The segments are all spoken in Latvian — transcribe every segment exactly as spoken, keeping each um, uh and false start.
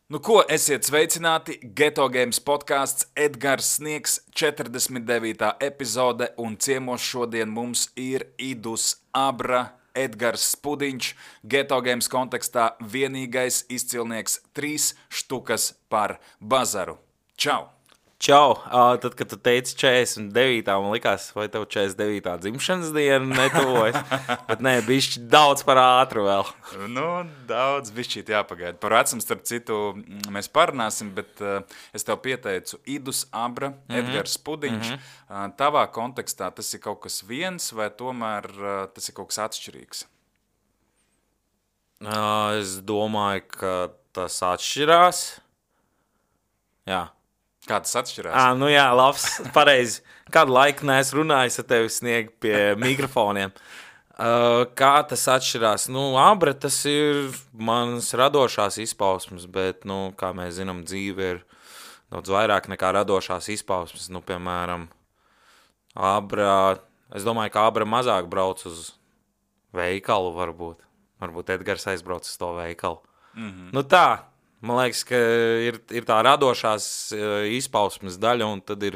Nu ko, esiet sveicināti, Geto Games podkāsts Edgars Sniegs, četrdesmit devītā epizode, un ciemos šodien mums ir Idus Abra, Edgars Spudiņš, Geto Games kontekstā vienīgais izcilnieks trīs štukas par bazaru. Čau! Čau! Uh, tad, kad tu teici četrdesmit devītā, man likās, vai tev četrdesmit devītā dzimšanas diena netuvojas, bet nē, bišķi daudz par ātru vēl. Nu, daudz bišķīt jāpagaida. Par vecumu, starp citu, mēs parunāsim, bet uh, es tev pieteicu Idus Abra, mm-hmm. Edgars Spudiņš. Mm-hmm. Uh, tavā kontekstā tas ir kaut kas viens, vai tomēr uh, tas ir kaut kas atšķirīgs? Uh, es domāju, ka tas atšķirās. Jā. Kā tas atšķirās? À, nu jā, labs, pareizi. Kādu laiku neesmu runājis ar tevi Sniegu pie mikrofoniem. Uh, kā tas atšķirās? Nu, Abra, tas ir manas radošās izpausmes, bet, nu, kā mēs zinām, dzīve ir daudz vairāk nekā radošās izpausmes. Nu, piemēram, Abra, es domāju, ka Abra mazāk brauc uz veikalu varbūt. Varbūt Edgars aizbrauc uz to veikalu. Mm-hmm. Nu tā. Man liekas, ka ir, ir tā radošās izpausmes daļa, un tad ir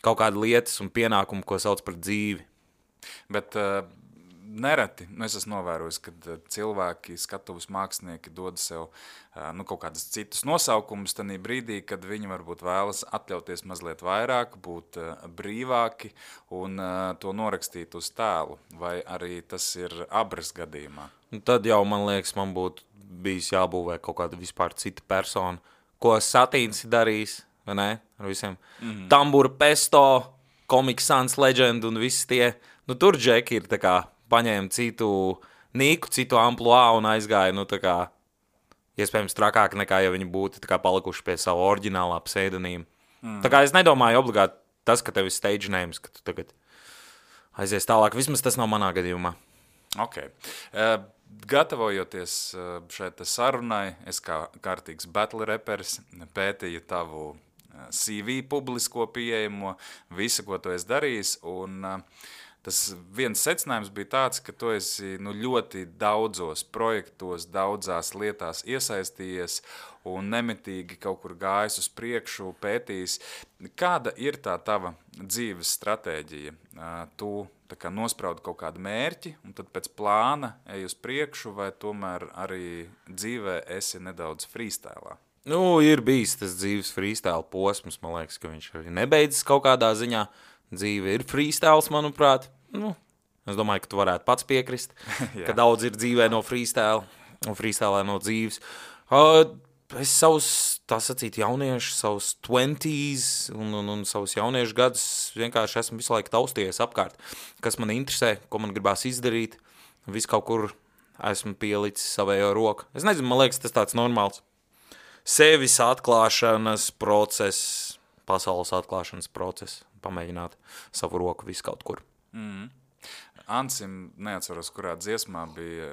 kaut kāda lietas un pienākumi, ko sauc par dzīvi. Bet uh, nereti, nu es esmu novērojis, kad cilvēki, skatuves mākslinieki dod sev uh, nu, kaut kādas citus nosaukumus tanī brīdī, kad viņi varbūt vēlas atļauties mazliet vairāk, būt uh, brīvāki un uh, to norakstīt uz tēlu. Vai arī tas ir Abras gadījumā? Un tad jau, man liekas, man būtu bijis jābūvē kaut kāda vispār cita persona, ko Satīns ir darījis, vai ne, ar visiem. Mm-hmm. Tambura Pesto, Comic Sans Legend un visi tie. Nu, tur džeki ir tā kā paņēma citu nīku, citu ampluā un aizgāja, nu, tā kā, iespējams trakāk nekā, ja viņi būtu tā kā palikuši pie savu oriģinālā pseidonīma. Mm. Tā kā es nedomāju obligāti tas, ka tev ir stage names, ka tu tagad aizies tālāk. Vismaz tas nav manā gadījumā. Ok. Uh, Gatavojoties šai sarunai, es kā kārtīgs battle reperis pētīju tavu C V publisko pieejamo, visu, ko tu esi darījis, un tas viens secinājums bija tāds, ka tu esi nu, ļoti daudzos projektos, daudzās lietās iesaistījies un nemitīgi kaut kur gājis uz priekšu, pētījis. Kāda ir tā tava dzīves stratēģija? Tu tā kā nospraudi kaut kādu mērķi, un tad pēc plāna ej uz priekšu, vai tomēr arī dzīvē esi nedaudz freestylā? Nu, ir bijis tas dzīves freestyle posms, man liekas, ka viņš arī nebeidzas kaut kādā ziņā. Dzīve ir freestyles, manuprāt. Nu, es domāju, ka tu varētu pats piekrist, ka daudz ir dzīvē no freestyle, un freestylē no dzīves. Uh, es savus, tā sacīt, jauniešu, savus twenties un, un, un savus jauniešu gadus vienkārši esmu visu laiku taustījies apkārt, kas man interesē, ko man gribās izdarīt. Visu kaut kur esmu pielicis savējo roku. Es nezinu, man liekas, tas tāds normāls sevis atklāšanas process, pasaules atklāšanas process, pamēģināt savu roku visu kaut kur. Mm. Ansim, neatceros, kurā dziesmā bija,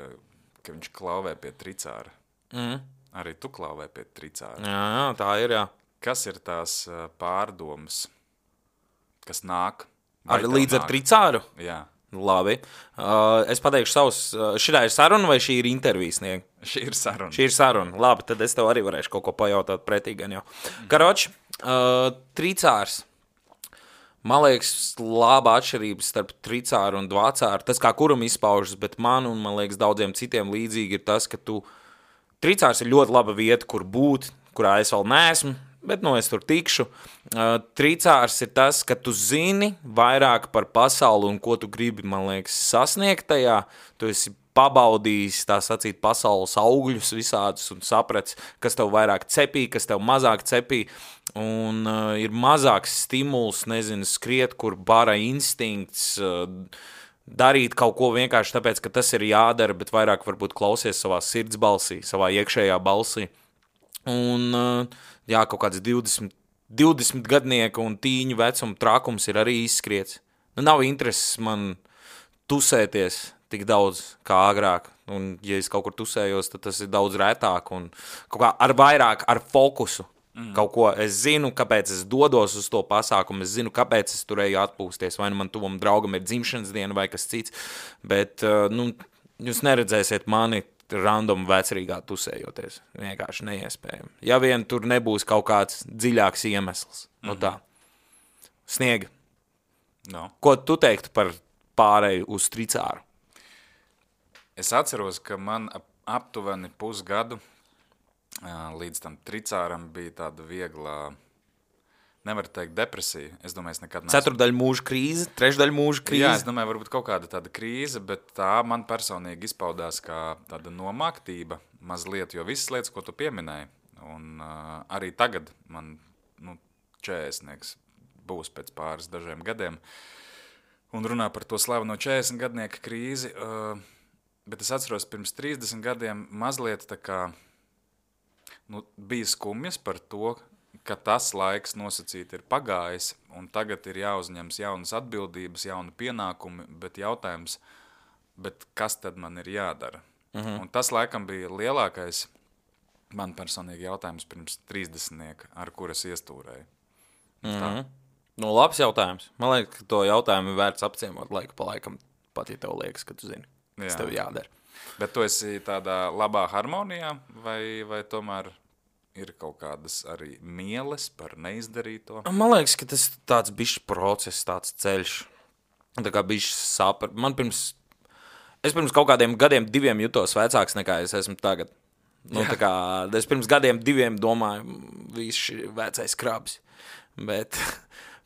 ka viņš klauvē pie tricāra. Mm. Arī tu klauvē pie tricāra. Jā, jā, tā ir, jā. Kas ir tās pārdomas, kas nāk? Ar, līdz nāk? Ar tricāru? Jā. Labi. Uh, es pateikšu savus, uh, šī ir saruna vai šī ir intervijas snieg? Šī ir saruna. Šī ir saruna. Labi, tad es tev arī varēšu kaut ko pajautāt pretī gan jau. Mm. Karoči, uh, tricārs. Man liekas, laba atšķirība starp tricāru un dvacāru. Tas, kā kuram izpaužas, bet man un, man liekas, daudziem citiem līdzīgi ir tas, ka tu... Tricārs ir ļoti laba vieta, kur būt, kurā es vēl neesmu, bet, nu, es tur tikšu. Uh, tricārs ir tas, ka tu zini vairāk par pasauli un ko tu gribi, man liekas, sasniegt tajā. Tu esi pabaudījis, tā sacīt, pasaules augļus visādus un saprats, kas tev vairāk cepī, kas tev mazāk cepī. Un uh, ir mazāks stimuls, nezinu, skriet, kur bara instinkts, uh, darīt kaut ko vienkārši tāpēc, ka tas ir jādara, bet vairāk varbūt klausies savā sirds balsī, savā iekšējā balsī. Un, uh, jā, kaut kāds divdesmit, divdesmit gadnieku un tīņu vecuma trakums ir arī izskriets. Nu, nav intereses man tusēties tik daudz kā agrāk, un ja es kaut kur tusējos, tad tas ir daudz rētāk un kaut kā ar vairāk, ar fokusu. Mm. Kaut ko es zinu, kāpēc es dodos uz to pasākumu, es zinu, kāpēc es turēju atpūsties, vai nu man tuvam draugam ir dzimšanas diena vai kas cits, bet, nu, jūs neredzēsiet mani random vecrīgā tusējoties. Vienkārši neiespējami. Ja vien tur nebūs kaut kāds dziļāks iemesls. Mm-hmm. Nu tā. Sniega. No. Ko tu teiktu par pārēju uz tricāru? Es atceros, ka man aptuveni pusgadu līdz tam tricāram bija tāda viegla, nevar teikt depresija. Es domāju, es nekad neesmu. Ceturdaļa mūža krīze, trešdaļa mūža krīze. Jā, es domāju, varbūt kaut kāda tāda krīze, bet tā man personīgi izpaudās kā tāda nomāktība mazliet, jo visas lietas, ko tu pieminēji, un uh, arī tagad man nu, četrdesmitnieks būs pēc pāris dažiem gadiem, un runā par to slaveno četrdesmitgadnieku krīzi, uh, bet es atceros pirms trīsdesmit gadiem mazliet tā kā nu, bija skumjas par to, ka tas laiks nosacīti ir pagājis, un tagad ir jāuzņems jaunas atbildības, jauni pienākumi, bet jautājums, bet kas tad man ir jādara? Uh-huh. Un tas laikam bija lielākais man personīgi jautājums pirms trīsdesmitnieka, ar kuras iestūrēju. Uh-huh. Nu, labs jautājums. Man liekas, ka to jautājumu ir vērts apciemot laiku pa laikam, pat ja tev liekas, ka tu zini, kas Jā. Tev jādara. Bet tu esi tādā labā harmonijā, vai, vai tomēr ir kaut kādas arī mieles par neizdarīto? Man liekas, ka tas tāds bišķi process, tāds ceļš. Tā kā bišķi sāp. Man pirms, es pirms kaut kādiem gadiem diviem jutos vecāks nekā es esmu tagad. Nu, tā kā, es pirms gadiem diviem domāju, viss šī vecais krabs. Bet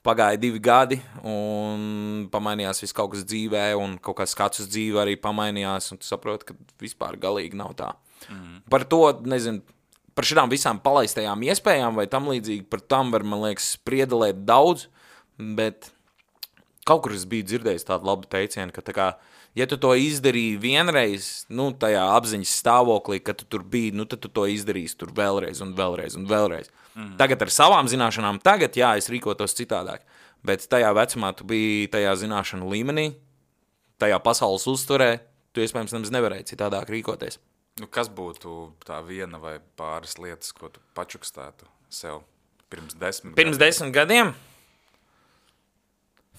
pagāja divi gadi un pamainījās viss kaut kas dzīvē un kaut kāds skats uz dzīvi arī pamainījās un tu saproti, ka vispār galīgi nav tā. Mm. Par to, nezinu, par šitām visām palaistajām iespējām vai tam līdzīgi, par tam var, man liekas, spriedelēt daudz, bet kaut kur es biju dzirdējis tādu labu teicienu, ka tā kā, ja tu to izdarīji vienreiz, nu, tajā apziņas stāvoklī, ka tu tur biji, nu, tad tu to izdarīsi tur vēlreiz un vēlreiz un vēlreiz. Mm. Tagad ar savām zināšanām, tagad, jā, es rīkotos citādāk, bet tajā vecumā tu biji tajā zināšanu līmenī, tajā pasaules uztverē, tu iespējams nemaz nevarēji citādāk rīkoties. Nu, kas būtu tā viena vai pāris lietas, ko tu pačukstētu sev pirms desmit pirms gadiem? desmit gadiem?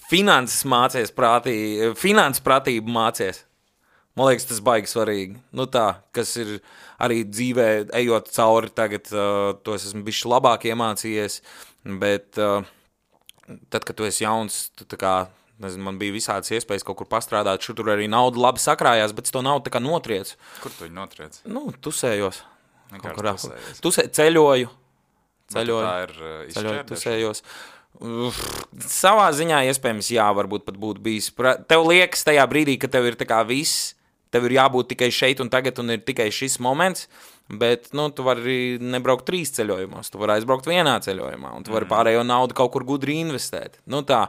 Finanses mācies prātī, finanses pratību mācies. Man liekas, tas baigi svarīgi. Nu tā, kas ir arī dzīvē, ejot cauri tagad, uh, to es esmu bišķi labāk iemācījies, bet uh, tad, kad tu esi jauns, tu tā kā, nezinu, man bija visādas iespējas kaut kur pastrādāt, šur tur arī nauda labi sakrājās, bet to naudu tā kā notriec. Kur tu viņu notriec? Nu, tusējos. Vienkārši tusējos. Tusē, ceļoju. Ceļoju. Tā ir uh, ceļoju, tusējos. Uf, savā ziņā iespējams jā, varbūt pat būtu bijis. Tev liekas tajā brīdī, ka tev ir tā kā viss, tev ir jābūt tikai šeit un tagad un ir tikai šis moments, bet, nu, tu vari nebraukt trīs ceļojumos, tu vari aizbraukt vienā ceļojumā un tu vari pārējo naudu kaut kur gudri investēt. Nu tā,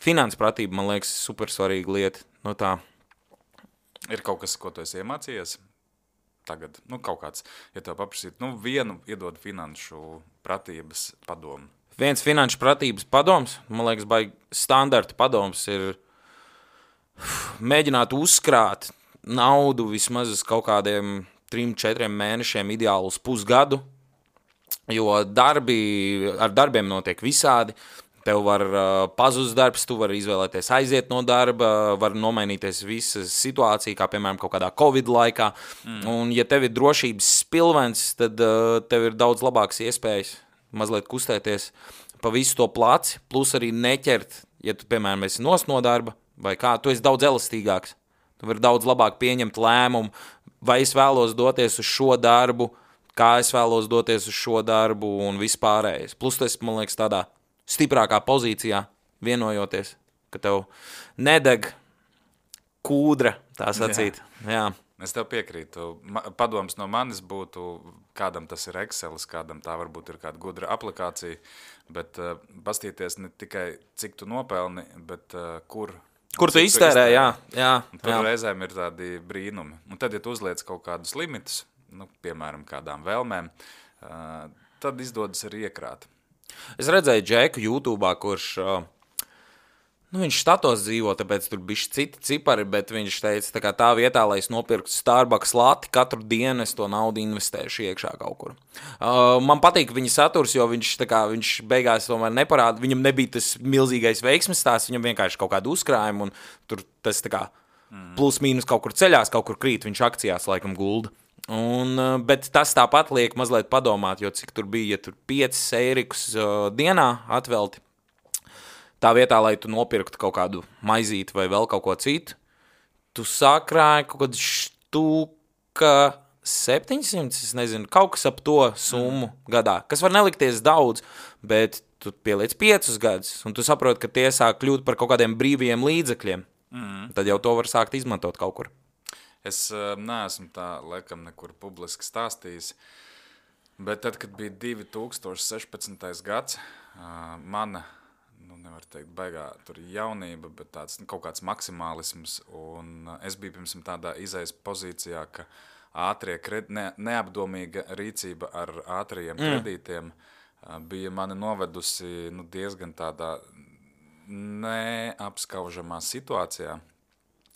finanses pratība, man liekas, super svarīga lieta. Nu tā. Ir kaut kas, ko tu esi iemācījies tagad? Nu, kaut kāds, ja tev paprasīt, nu, vienu iedod finanšu pratības padomu. Viens finanšu pratības padoms, man liekas, baigi standarta padoms ir mēģināt uzkrāt naudu vismaz uz kaut kādiem trim, četriem mēnešiem, ideāli uz pusgadu, jo darbi, ar darbiem notiek visādi. Tev var uh, pazust darbs, tu vari izvēlēties aiziet no darba, var nomainīties visa situācija, kā piemēram kaut kādā Covid laikā. Mm. Un ja tev ir drošības spilvens, tad uh, tev ir daudz labākas iespējas mazliet kustēties pa visu to placi, plus arī neķert, ja tu, piemēram, esi nost no darba, vai kā, tu esi daudz elastīgāks. Tu vari daudz labāk pieņemt lēmumu, vai es vēlos doties uz šo darbu, kā es vēlos doties uz šo darbu un vispārējais. Plus tu esi, man liekas, tādā stiprākā pozīcijā vienojoties, ka tev nedeg kūdra, tā sacīt. Jā. Jā. Es tev piekrītu. Padoms no manis būtu, kādam tas ir Excelis, kādam tā varbūt ir kāda gudra aplikācija, bet uh, pastīties ne tikai, cik tu nopelni, bet uh, kur. Kur tu iztērē, jā. jā, tur jā. reizēm ir tādi brīnumi. Un tad, ja tu uzliec kaut kādus limitus, nu, piemēram, kādām vēlmēm, uh, tad izdodas arī iekrāt. Es redzēju Džeku YouTube'ā, kurš... Uh, Nu, viņš štatos dzīvo, tāpēc tur bišķi citi cipari, bet viņš teica, tā kā tā vietā, lai es nopirktu Starbucks lati, katru dienu es to naudu investēšu iekšā kaut kur. Uh, man patīk viņa saturs, jo viņš, tā kā, viņš beigās tomēr neparāda, viņam nebija tas milzīgais veiksmes stāsts, viņam vienkārši kaut kādu uzkrājumu, un tur tas tā kā plus mīnus kaut kur ceļās, kaut kur krīt, viņš akcijās laikam gulda. Un, bet tas tāpat liek mazliet padomāt, jo cik tur bija, ja tur piecas eirikus uh, dienā atvelti, tā vietā, lai tu nopirktu kaut kādu maizīti vai vēl kaut ko citu, tu sakrāji kaut kādu štuka septiņsimt, es nezinu, kaut kas ap to summu mm. gadā, kas var nelikties daudz, bet tu pieliec piecus gadus, un tu saproti, ka tie sāk kļūt par kaut kādiem brīviem līdzekļiem. Mm. Tad jau to var sākt izmantot kaut kur. Es uh, neesmu tā, laikam, nekur publiski stāstījis, bet tad, kad bija divi tūkstoši sešpadsmitais gads, uh, mana, nu, nevar teikt, baigā tur jaunība, bet tāds nu, kaut kāds maksimālisms, un uh, es biju pirms tādā izejas pozīcijā, ka ātrie kred... ne, neapdomīga rīcība ar ātrajiem mm. kredītiem uh, bija mani novedusi nu, diezgan tādā neapskaužamā situācijā.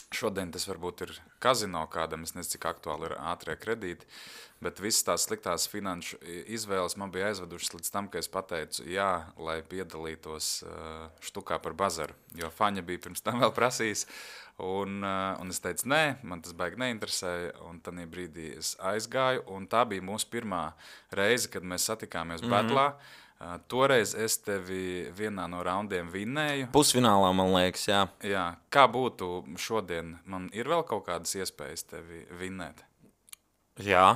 Šodien tas varbūt ir kazino kādam, es nezinu, cik aktuāli ir ātrie kredīti, bet visas tās sliktās finanšu izvēles man bija aizvedušas līdz tam, ka es pateicu jā, lai piedalītos štukā par bazaru, jo Faņa bija pirms tam vēl prasījis, un, un es teicu nē, man tas baigi neinteresēja, un tanī brīdī es aizgāju, un tā bija mūsu pirmā reize, kad mēs satikāmies mm-hmm. Betlā. Uh, toreiz es tevi vienā no raundiem vinnēju. Pusfinālā, man liekas, jā. Jā. Kā būtu šodien? Man ir vēl kaut kādas iespējas tevi vinnēt? Jā.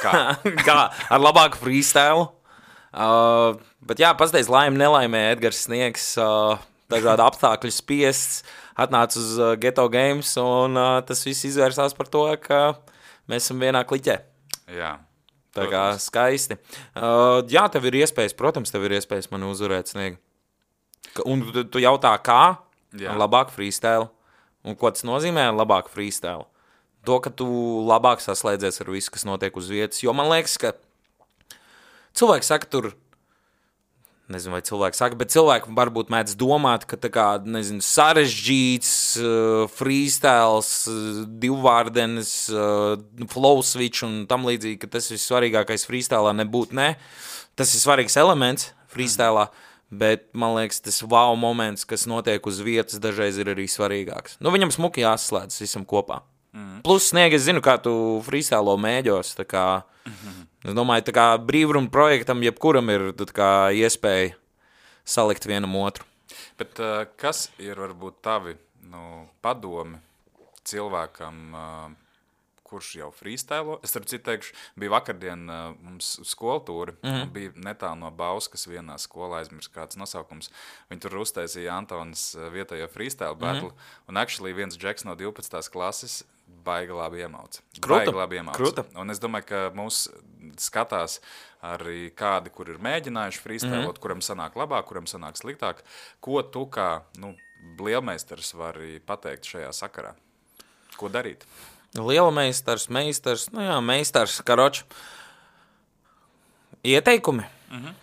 Kā? Kā? Ar labāku freestyle. Uh, bet jā, pastāties laimi nelaimē Edgars Sniegs, uh, dažādi apstākļi spiests, atnāca uz uh, Ghetto Games, un uh, tas viss izvērsās par to, ka mēs esam vienā kliķē. Jā. Tā kā skaisti. Uh, jā, tev ir iespējas, protams, tev ir iespējas mani uzvarēt Sniegi. Un tu, tu jautā, kā? Jā. Labāk freestyle. Un ko tas nozīmē labāk freestyle? To, ka tu labāk saslēdzies ar visu, kas notiek uz vietas. Jo man liekas, ka cilvēki saka tur, nezinu, vai cilvēki saka, bet cilvēki varbūt mēdz domāt, ka tā kā, nezinu, sarežģīts, uh, freestyles, uh, divvārdenes, uh, flow switch un tam līdzīgi, ka tas ir svarīgākais freestylā nebūtu, ne. Tas ir svarīgs elements freestylā, mm. bet man liekas, tas wow moments, kas notiek uz vietas, dažreiz ir arī svarīgāks. Nu, viņam smuki jāsaslēdz visam kopā. Mm. Plus, Sniegi, es zinu, kā tu freestylo mēģos, tā kā... Mm-hmm. Es domāju, tā kā brīvruna projektam jebkuram ir tā kā iespēja salikt vienam otru. Bet uh, kas ir varbūt tavi nu, padomi cilvēkam, uh, kurš jau freestylo? Es ar citu teikšu, bija vakardien uh, mums skoltūri, mm-hmm. bija netālu no Bauskas vienā skolā, aizmirs kāds nosaukums. Viņi tur uztaisīja Antonis vietējo freestyle battle, mm-hmm. un actually viens džeks no divpadsmitās klases baigi labi iemauca. Kruta. Baigi labi iemauca. Kruta. Un es domāju, ka mūs skatās arī kādi, kur ir mēģinājuši freestylot, mm-hmm. kuram sanāk labāk, kuram sanāk sliktāk. Ko tu kā nu, lielmeistars vari pateikt šajā sakarā? Ko darīt? Lielmeistars, meistars, nu jā, meistars, karoči. Ieteikumi? Mm-hmm.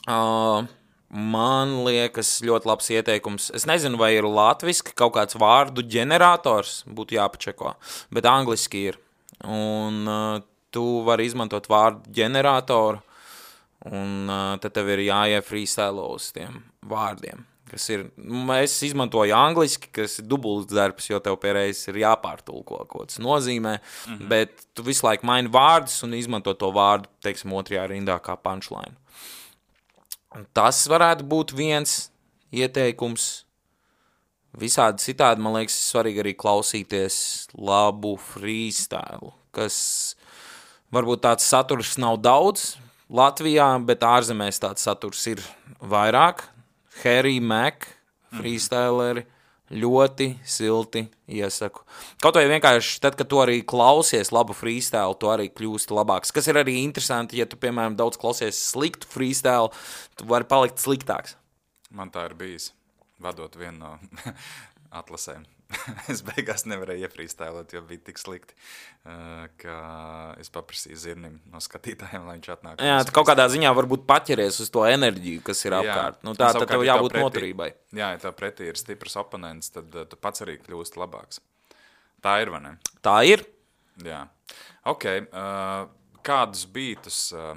Uh, man liekas ļoti labs ieteikums. Es nezinu, vai ir latviski kaut kāds vārdu ģenerators, būtu jāpačeko, bet angliski ir. Un uh, tu vari izmantot vārdu ģeneratoru, un uh, tad tev ir jāiefreestylo uz tiem vārdiem, kas ir, es izmantoju angliski, kas ir dubults darbs, jo tev pēreiz ir jāpārtulko, ko tas nozīmē, mm-hmm. bet tu visu laiku maini vārdus un izmanto to vārdu, teiksim, otrajā rindā kā punchline. Tas varētu būt viens ieteikums. Visādi citādi, man liekas, svarīgi arī klausīties labu freestyle, kas varbūt tāds saturs nav daudz Latvijā, bet ārzemēs tāds saturs ir vairāk. Harry Mack, freestyleri, ļoti silti iesaku. Kaut vai vienkārši tad, kad tu arī klausies labu freestyle, tu arī kļūsti labāks. Kas ir arī interesanti, ja tu, piemēram, daudz klausies sliktu freestyle, tu vari palikt sliktāks. Man tā ir bijis, vadot vienu no atlasēm. Es beigās nevarēju iefreestylot, jo bija tik slikti, ka es paprasīju Zirnim no skatītājiem, lai viņš atnāk. Jā, tu kaut kādā ziņā varbūt paķeries uz to enerģiju, kas ir apkārt. Jā, nu, tā tad tev jābūt pretī, noturībai. Jā, ja tev pretī ir stiprs oponents, tad tu pats arī kļūst labāks. Tā ir, vai ne? Tā ir. Jā. Ok, uh, kādus bītus uh,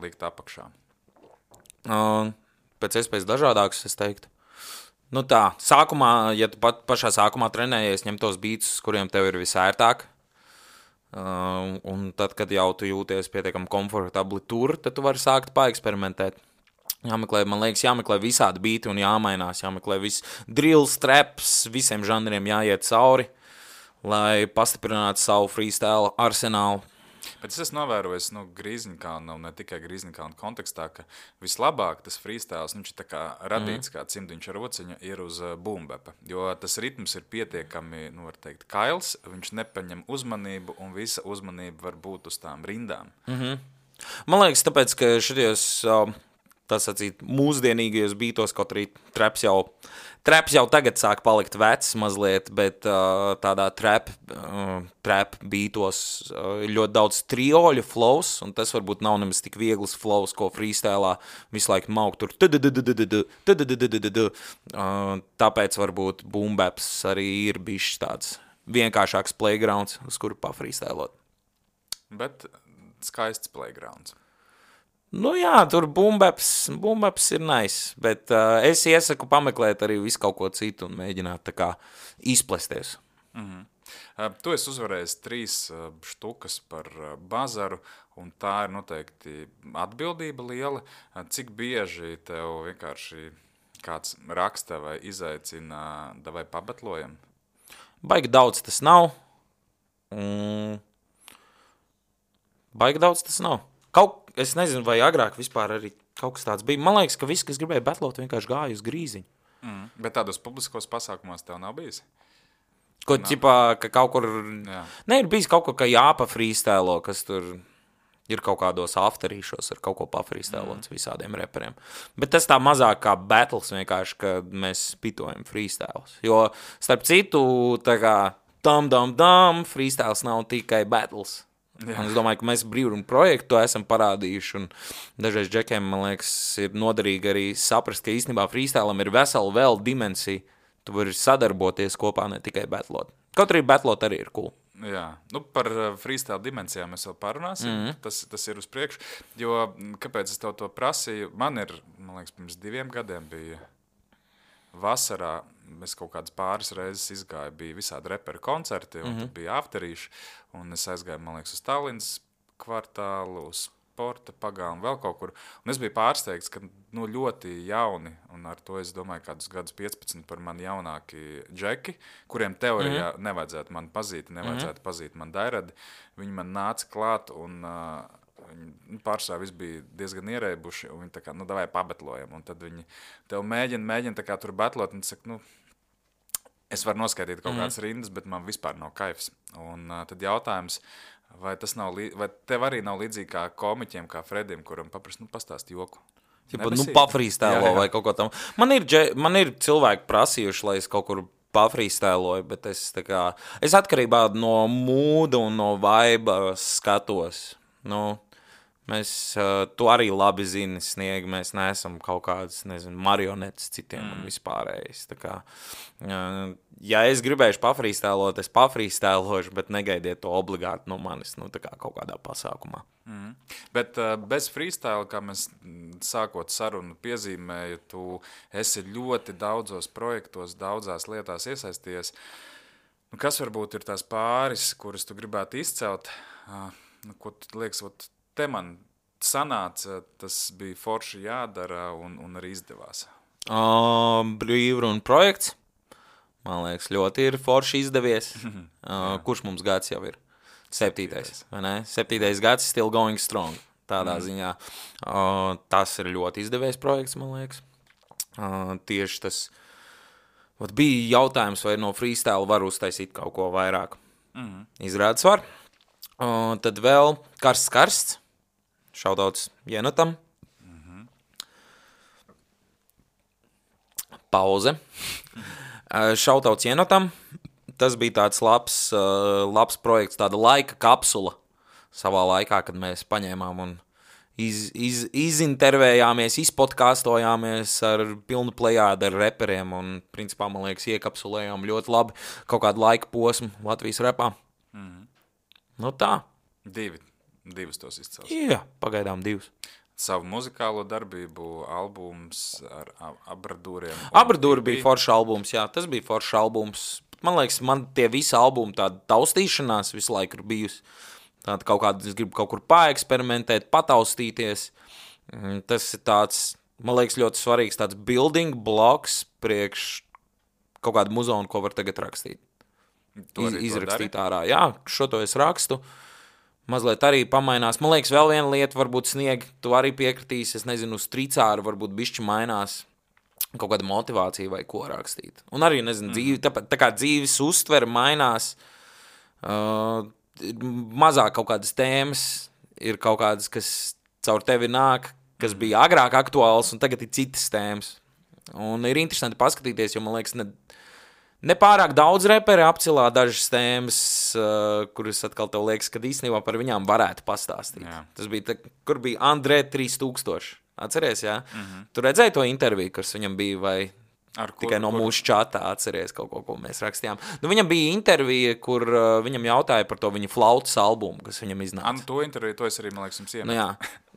likt apakšā? Uh, pēc iespējas dažādākus, es teiktu. Nu tā, sākumā, ja tu pat pašā sākumā trenējies, ņem tos beats, kuriem tev ir visērtāk, Uh, un tad, kad jau tu jūties pietiekami komfortabli tur, tad tu vari sākt paeksperimentēt. Jāmeklē, man liekas, jāmeklē visādi beati un jāmainās, jāmeklē viss drills, traps, visiem žanriem jāiet cauri, lai pastiprinātu savu freestyle arsenālu. Bet es esmu novērojis, nu, Grīziņkalna, un ne tikai Grīziņkalna kontekstā, ka vislabāk tas freestyles, nu, viņš ir tā kā radīts mm. kā cimdiņš ar rociņu, ir uz uh, boombepa, jo tas ritms ir pietiekami, nu, var teikt, kails, viņš nepaņem uzmanību, un visa uzmanība var būt uz tām rindām. Mm-hmm. Man liekas, tāpēc, ka šities, uh, tas atsīt, mūsdienīgajos beatos, kaut arī traps jau, traps jau tagad sāk palikt vecs mazliet, bet uh, tādā trap, uh, trap beatos uh, ir ļoti daudz trioļu flows, un tas varbūt nav nemaz tik viegls flows, ko freestylā visu laiku mauk tur. Tāpēc varbūt boom baps arī ir bišķi tāds vienkāršāks playgrounds, uz kuru pafreestylot. Bet skaists playgrounds. Nu jā, tur boombaps, boombaps ir nice, bet uh, es iesaku pameklēt arī visu kaut ko citu un mēģināt tā kā izplesties. Mm-hmm. Uh, tu esi uzvarējis trīs uh, štukas par uh, bazaru, un tā ir noteikti atbildība liela. Uh, cik bieži tev vienkārši kāds raksta vai izaicina, davai pabetlojam? Baigi daudz tas nav. Mm. Baigi daudz tas nav. Kaut Es nezinu, vai agrāk vispār arī kaut kas tāds bija. Man liekas, ka visi, kas gribēja betlot, vienkārši gāja uz Grīziņu. Mm, bet tādos publiskos pasākumos tev nav bijis? Ko, ķipā, ka kaut kur... Jā. Ne, ir bijis kaut ko, ka jāpa freestylo, kas tur ir kaut kādos afterīšos ar kaut ko pafreestylots mm. visādiem reperiem. Bet tas tā mazāk kā battles vienkārši, ka mēs pitojam freestyles. Jo, starp citu, tā kā dam, dam, dam, freestyles nav tikai battles. Jā. Un es domāju, ka mēs brīvrunu projektu to esam parādījuši, un dažreiz džekiem, man liekas, ir noderīgi arī saprast, ka īstenībā freestylam ir vesela vēl dimensija. Tu vari sadarboties kopā, ne tikai batlot. Kaut arī batlot arī ir cool. Jā, nu par freestyle dimensijām mēs vēl parunāsim, mm-hmm. tas, tas ir uz priekšu, jo kāpēc es tev to prasīju, man ir, man liekas, pirms diviem gadiem bija vasarā, es kaut kādas pāris reizes izgāju, bija visādi reperu koncerti, un mm-hmm. tad bija afterīši, un es aizgāju, man liekas, uz Tallinas kvartālu, uz Sporta pagālu un vēl kaut kur, un es biju pārsteigts, ka nu, ļoti jauni, un ar to es domāju kādus gadus piecpadsmit par mani jaunāki džeki, kuriem teorijā mm-hmm. nevajadzētu man pazīt, nevajadzētu mm-hmm. pazīt man dairadi, viņi man nāca klāt, un uh, viņi pārsvarā viss bija diezgan ierēbuši, un viņi tā kā, nu, davai pabetlojam, un tad viņi tev mēģina, mēģina tā kā tur betlot, un tu saka, nu, es varu noskaidīt kaut kādas mm. rindas, bet man vispār nav kaifs. Un uh, tad jautājums, vai tas nav, vai tev arī nav līdzīgi kā komiķiem, kā Fredim, kuram paprast, nu, pastāst joku. Tipa, nu, pafrīstēlo vai kaut ko tam. Man ir, man ir cilvēki prasījuši, lai es kaut kur pafrīstēloju, bet es tā kā, es atkarībā no mūda un no vaiba skatos. Nu, mēs, uh, tu arī labi zini, Sniegi, mēs neesam kaut kādas, nezinu, marionetes citiem mm. un vispārējais. Tā kā, uh, ja es gribēšu pafrīstēlot, es pafrīstēlošu, bet negaidiet to obligāti no manis, nu, tā kā kaut kādā pasākumā. Mm. Bet uh, bez freestyle, kā mēs sākot sarunu piezīmēju, tu esi ļoti daudzos projektos, daudzās lietās iesaisties. Nu, kas varbūt ir tās pāris, kuras tu gribētu izcelt? Uh, nu, ko tu liekas, ot, te man sanāca, tas bija forši jādara un, un arī izdevās. Uh, Brīvrunu projekts, man liekas, ļoti ir forši izdevies. uh, kurš mums gads jau ir? Septītais, vai ne? Septītais gads still going strong, tādā mm. ziņā. Uh, tas ir ļoti izdevies projekts, man liekas. Uh, tieši tas, vat bija jautājums, vai no freestyle var uztaisīt kaut ko vairāk. Mm. Izrādes var. Uh, tad vēl karsts karsts. Šautauts Jenotam. Mm-hmm. Pauze. uh, šautauts Jenotam. Tas bija tāds labs, uh, labs projekts, tāda laika kapsula savā laikā, kad mēs paņēmām un iz, iz, izintervējāmies, izpodkāstojāmies ar pilnu plejādu ar reperiem un, principā, man liekas, iekapsulējām ļoti labi kaut kādu laika posmu Latvijas repā. Mm-hmm. Nu tā. Divi. Divus tos izcels. Jā, pagaidām divus. Savu muzikālo darbību, albums ar abradūriem. Abradūri bija foršs albums, jā, tas bija foršs albums. man liekas, man tie visi albumi tāda taustīšanās visu laiku ir bijusi. Tāda kaut kāda, es gribu kaut kur paeksperimentēt, pataustīties. Tas ir tāds, man liekas, ļoti svarīgs tāds building blocks priekš kaut kādu muzonu, ko var tagad rakstīt. Iz, izrakstīt ārā. Jā, šo to es rakstu. Mazliet arī pamainās. Man liekas, vēl viena lieta, varbūt Sniegi, tu arī piekritīsi, es nezinu, uz tricāru varbūt bišķi mainās kaut kāda motivācija vai ko rakstīt. Un arī, nezinu, mm. dzīvi, tā, tā kā dzīves uztvere mainās, uh, mazāk kaut kādas tēmas, ir kaut kādas, kas caur tevi nāk, kas bija agrāk aktuāls, un tagad ir citas tēmas. Un ir interesanti paskatīties, jo, man liekas, ne, ne pārāk daudz reperi apcilā dažas tēmas, uh, kuras atkal tev liekas, kad īstenībā par viņām varētu pastāstīt. Jā. Tas bija, tā, kur bija Andrē trīs tūkstoši. Atceries, jā? Mm-hmm. Tu redzēji to interviju, kas viņam bija, vai ar tikai kur, no kur? Mūsu čatā atceries kaut ko, ko mēs rakstījām. Nu, viņam bija intervija, kur uh, viņam jautāja par to viņa flautas albumu, kas viņam iznāca. An, to interviju, to es arī, man liekas, jums iemet. Nu jā,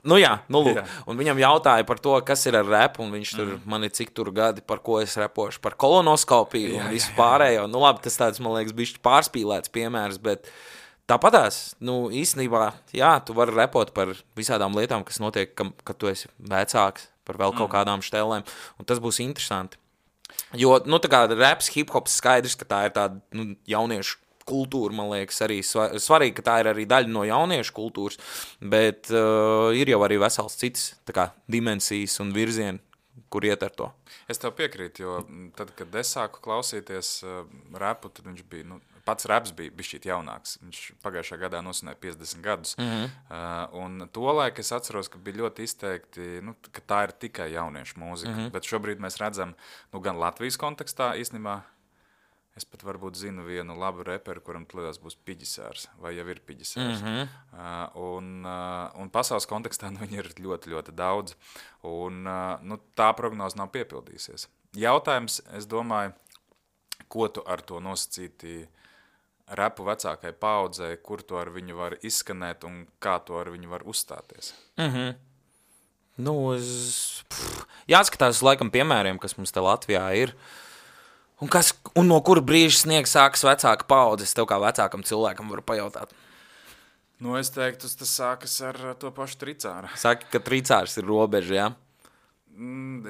nu jā, nu lūk. Jā. Un viņam jautāja par to, kas ir ar repu, un viņš tur, mm. man ir cik tur gadi, par ko es repošu, par kolonoskopiju jā, un visu jā, jā. pārējo. Nu labi, tas tāds, man liekas, bišķi pārspīlēts piemērs, bet tāpatās, nu, īstenībā, jā, tu vari repot par visādām lietām, kas notiek, kam, kad tu esi vecāks, par vēl kaut kādām štelēm, un tas būs interesanti. Jo, nu, tā kā raps, hip-hops skaidrs, ka tā ir tāda, nu, jauniešu kultūra, man liekas, arī svarīgi, ka tā ir arī daļa no jauniešu kultūras, bet uh, ir jau arī vesels cits, tā kā, dimensijas un virzieni, kur iet ar to. Es tev piekrītu, jo tad, kad es sāku klausīties uh, rapu, tad viņš bija, nu, pats raps bija bišķīt jaunāks. Viņš pagājušā gadā nosvinēja piecdesmit gadus. Mm-hmm. Uh, un tolaik es atceros, ka bija ļoti izteikti, nu, ka tā ir tikai jauniešu mūzika. Mm-hmm. Bet šobrīd mēs redzam, nu, gan Latvijas kontekstā īstenībā, es pat varbūt zinu vienu labu reperu, kuram tulījās būs Piģisārs, vai jau ir Piģisārs. Mm-hmm. Uh, un, uh, un pasaules kontekstā nu, viņi ir ļoti, ļoti daudz. Un uh, nu, tā prognoze nav piepildījusies. Jautājums, es domāju, ko tu ar to nosacīti repu vecākai paudzei, kur to ar viņu var izskanēt un kā to ar viņu var uzstāties? Mhm. Nu, es... Pff, jāskatās laikam piemēriem, kas mums te Latvijā ir. Un, kas, un no kura brīža Sniegs sākas vecāka paudzes, tev kā vecākam cilvēkam var pajautāt? Nu, es teiktu, tas sākas ar to pašu tricāru. Saki, ka tricārs ir robeža, jā?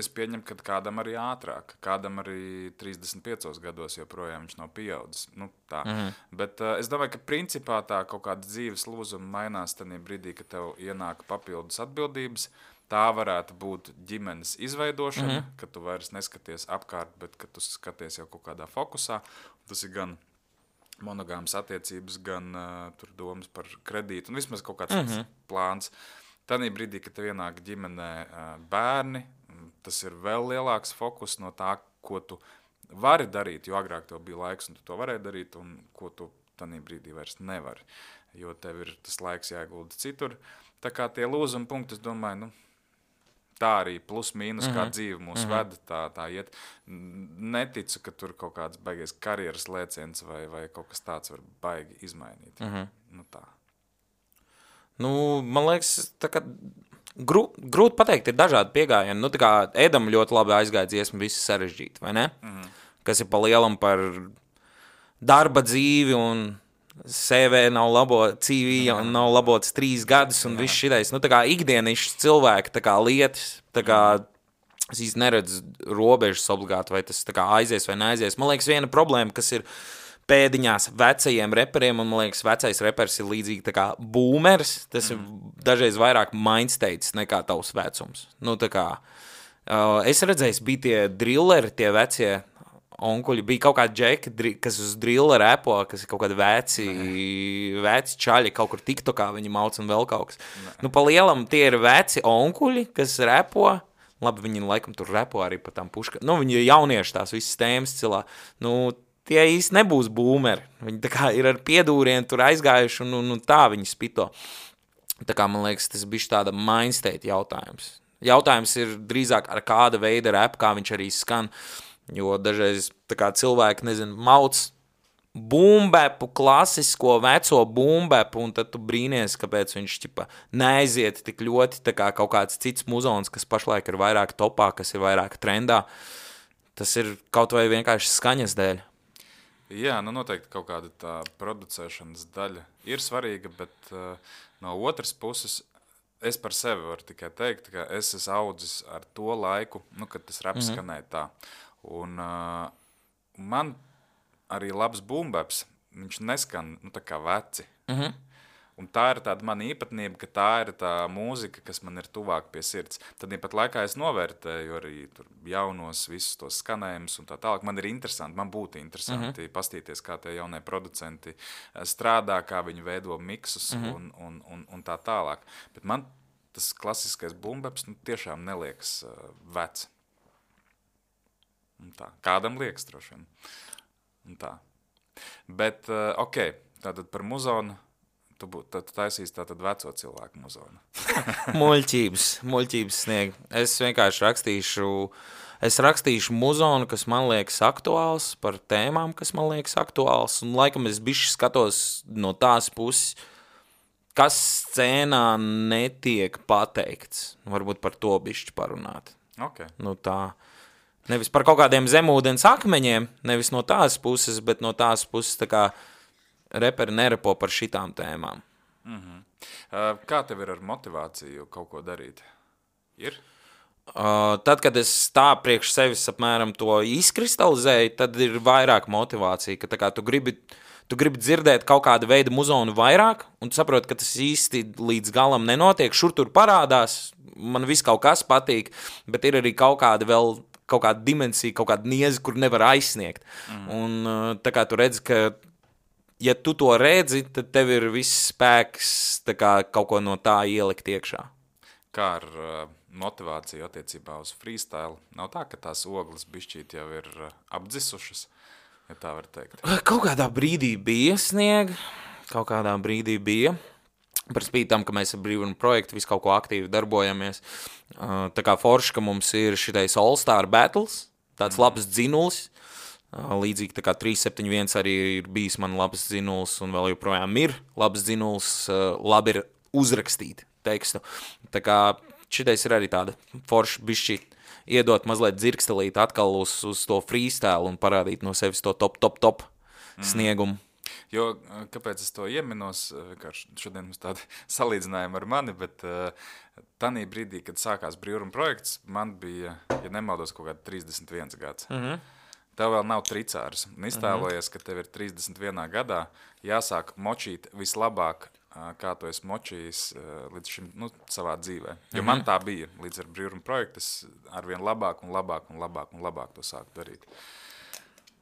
Es pieņemu, ka kādam arī ātrāk, kādam arī trīsdesmit piecos gados joprojām viņš nav pieaudzis. Nu, tā. Mm-hmm. Bet uh, es domāju, ka principā tā kaut kāda dzīves lūzuma mainās tajā brīdī, kad tev ienāk papildus atbildības. Tā varētu būt ģimenes izveidošana, mm-hmm. kad tu vairs neskaties apkārt, bet kad tu skaties jau kaut kādā fokusā. Tas ir gan monogāmas attiecības, gan uh, tur domas par kredītu un vismaz kaut kāds mm-hmm. plāns. Tanī brīdī, kad tev ienāk ģimenē bērni, tas ir vēl lielāks fokus no tā, ko tu vari darīt, jo agrāk tev bija laiks un tu to varēji darīt, un ko tu tanī brīdī vairs nevari, jo tev ir tas laiks jāiegulda citur. Tā kā tie lūzuma punkti, es domāju, nu, tā arī plus mīnus, mm-hmm. kā dzīve mūs mm-hmm. veda, tā, tā iet. Neticu, ka tur kaut kāds baigies karjeras lēciens vai, vai kaut kas tāds var baigi izmainīt. Mm-hmm. Nu tā. Nu, man liekas, tā kā grū, grūti pateikt, ir dažādi piegājieni. Nu, tā kā Edam ļoti labi aizgāja dziesma, viss sarežģīti, vai ne? Mm-hmm. Kas ir pa lielam par darba dzīvi un C V nav labo, C V mm-hmm. nav labots trīs gadus un mm-hmm. viss šitais. Nu, tā kā ikdienišs cilvēki, tā kā lietas, tā kā es īsti neredzu robežas obligāti, vai tas tā kā aizies vai neaizies. Man liekas, viena problēma, kas ir pēdiņās vecajiem reperiem, un man liekas, vecais repers ir līdzīgi tā kā boomers, tas mm. ir dažreiz vairāk mindstates nekā tavs vecums. Nu, tā kā, uh, es redzēju, bija tie drilleri, tie vecie onkuļi, bija kaut kādi džeki, kas uz drilleru repo, kas ir kaut kādi veci, veci čaļi, kaut kur tiktokā viņi mauc un vēl kaut kas. Ne. Nu, pa lielam tie ir veci onkuļi, kas repo, labi, viņi laikam tur repo arī par tām puškām, nu, viņi ir jaunieši tās visas tēmas cilā, nu, tie īsti nebūs boomeri. Viņi tā kā ir ar piedūrienu tur aizgājuši un, un, un tā viņi spito. Tā kā man liekas, tas bija tāda mindstate jautājums. Jautājums ir drīzāk ar kāda veida rap, kā viņš arī skan, jo dažreiz tā kā cilvēki, nezinu, mauc boombepu, klasisko, veco boombepu, un tad tu brīnies, kāpēc viņš ķipa neaiziet tik ļoti, tā kā kaut kāds cits muzons, kas pašlaik ir vairāk topā, kas ir vairāk trendā. Tas ir kaut vai vienkārši skaņas dēļ. Jā, nu noteikti kaut kāda tā producēšanas daļa ir svarīga, bet uh, no otras puses es par sevi varu tikai teikt, ka es esmu audzis ar to laiku, nu, kad tas raps mm-hmm. skanēja tā. Un uh, man arī labs bumbaps, viņš neskan nu, tā kā veci. Mm-hmm. Un tā ir tāda mana īpatnība, ka tā ir tā mūzika, kas man ir tuvāk pie sirds. Tad pat laikā es novērtēju arī tur jaunos visus tos skanējumus un tā tālāk. Man ir interesanti, man būtu interesanti mm-hmm. pastīties, kā tie jaunie producenti strādā, kā viņi veido miksus mm-hmm. un, un, un, un tā tālāk. Bet man tas klasiskais bumbaps nu, tiešām neliekas uh, vecs. Un tā. Kādam liekas droši vien. Un tā. Bet, uh, ok, tātad par muzonu. Tu, tu taisīsi tātad veco cilvēku muzonu. muļķības, muļķības snieg. Es vienkārši rakstīšu, es rakstīšu muzonu, kas man liekas aktuāls, par tēmām, kas man liekas aktuāls, un laikam es bišķi skatos no tās puses, kas scēnā netiek pateikts. Varbūt par to bišķi parunāt. Okay. Nu tā, nevis par kaut kādiem zemūdens akmeņiem, nevis no tās puses, bet no tās puses tā kā reperi nerepo par šitām tēmām. Mm-hmm. Uh, kā tev ir ar motivāciju kaut ko darīt? Ir? Uh, tad, kad es tā priekš sevis apmēram to izkristalizēju, tad ir vairāk motivācija, ka tā kā tu gribi, tu gribi dzirdēt kaut kādu veidu muzonu vairāk, un tu saproti, ka tas īsti līdz galam nenotiek, šur tur parādās, man viss kaut kas patīk, bet ir arī kaut kāda vēl, kaut kāda dimensija, kaut kāda nieze, kur nevar aizsniegt. Mm. Un uh, tā kā tu redzi, ka ja tu to redzi, tad tev ir viss spēks tā kā, kaut ko no tā ielikt iekšā. Kā ar uh, motivāciju attiecībā uz freestyle? Nav tā, ka tās ogles bišķīt jau ir uh, apdzisušas, ja tā var teikt? Kaut kādā brīdī bija snieg, kaut kādā brīdī bija. Par spīti tam, ka mēs ar brīvuma projektu visu kaut ko aktīvi darbojamies. Uh, tā kā forši, ka mums ir šitais All Star Battles, tāds mm. labs dzinulis. Līdzīgi tā kā trīs septiņi viens arī ir bijis man labs dzinuls un vēl joprojām ir labs dzinuls, labi ir uzrakstīt tekstu. Tā kā šitais ir arī tāda forša bišķi iedot mazliet dzirkstelīt atkal uz, uz to freestyle un parādīt no sevis to top, top, top mm. sniegumu. Jo, kāpēc es to ieminos, vienkārši šodien mums tādi salīdzinājumi ar mani, bet uh, tanī brīdī, kad sākās brīvuma projekts, man bija, ja nemaldos, kaut kāda trīsdesmit viens gads. Mhm. Tev vēl nav tricārs. Un iztēlojies, ka tev ir trīsdesmit vienā gadā jāsāk močīt vislabāk, kā tu esi močījis līdz šim, nu, savā dzīvē. Jo mm-hmm. man tā bija līdz ar brīvuma projektu, es arvien labāk un labāk un labāk un labāk to sāku darīt.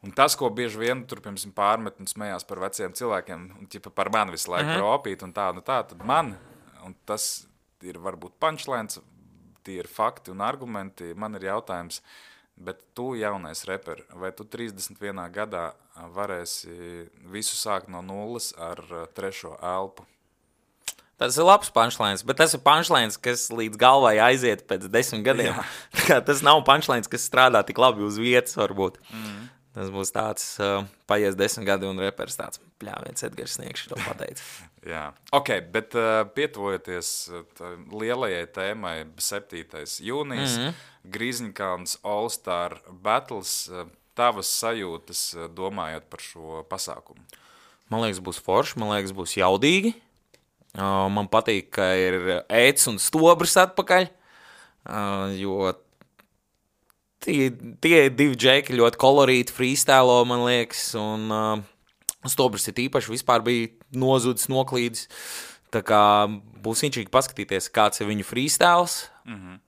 Un tas, ko bieži vien tur, piemēram, pārmet un smējās par veciem cilvēkiem, un ķipa par mani visu laiku mm-hmm. opīt un tā, un tā, tad man, un tas ir varbūt punchlines, tie ir fakti un argumenti, man ir jautājums, bet tu, jaunais reperi, vai tu trīsdesmit vienā gadā varēsi visu sākt no nulles ar trešo elpu? Tas ir labs punchlines, bet tas ir punchlines, kas līdz galvai aiziet pēc desmit gadiem. Tas nav punchlines, kas strādā tik labi uz vietas, varbūt. Mm. Tas būs tāds, uh, paies desmit gadi un reperis tāds, pļāviens Edgars Sniegšs to pateica. Jā, ok, bet uh, pietuvojoties lielajai tēmai septītais jūnijas, mm-hmm. Grīziņkalns All Star Battles, uh, tavas sajūtas uh, domājot par šo pasākumu? Man liekas, būs forši, man liekas, būs jaudīgi. Uh, man patīk, ka ir ēts un stobrs atpakaļ, uh, jo tie, tie divi džeki ļoti kolorīti freestylo, man liekas, un uh, stobrs ir īpaši vispār bija nozudis, noklīdis. Tā kā būs inčīgi paskatīties, kāds ir viņu freestyles. Mm-hmm.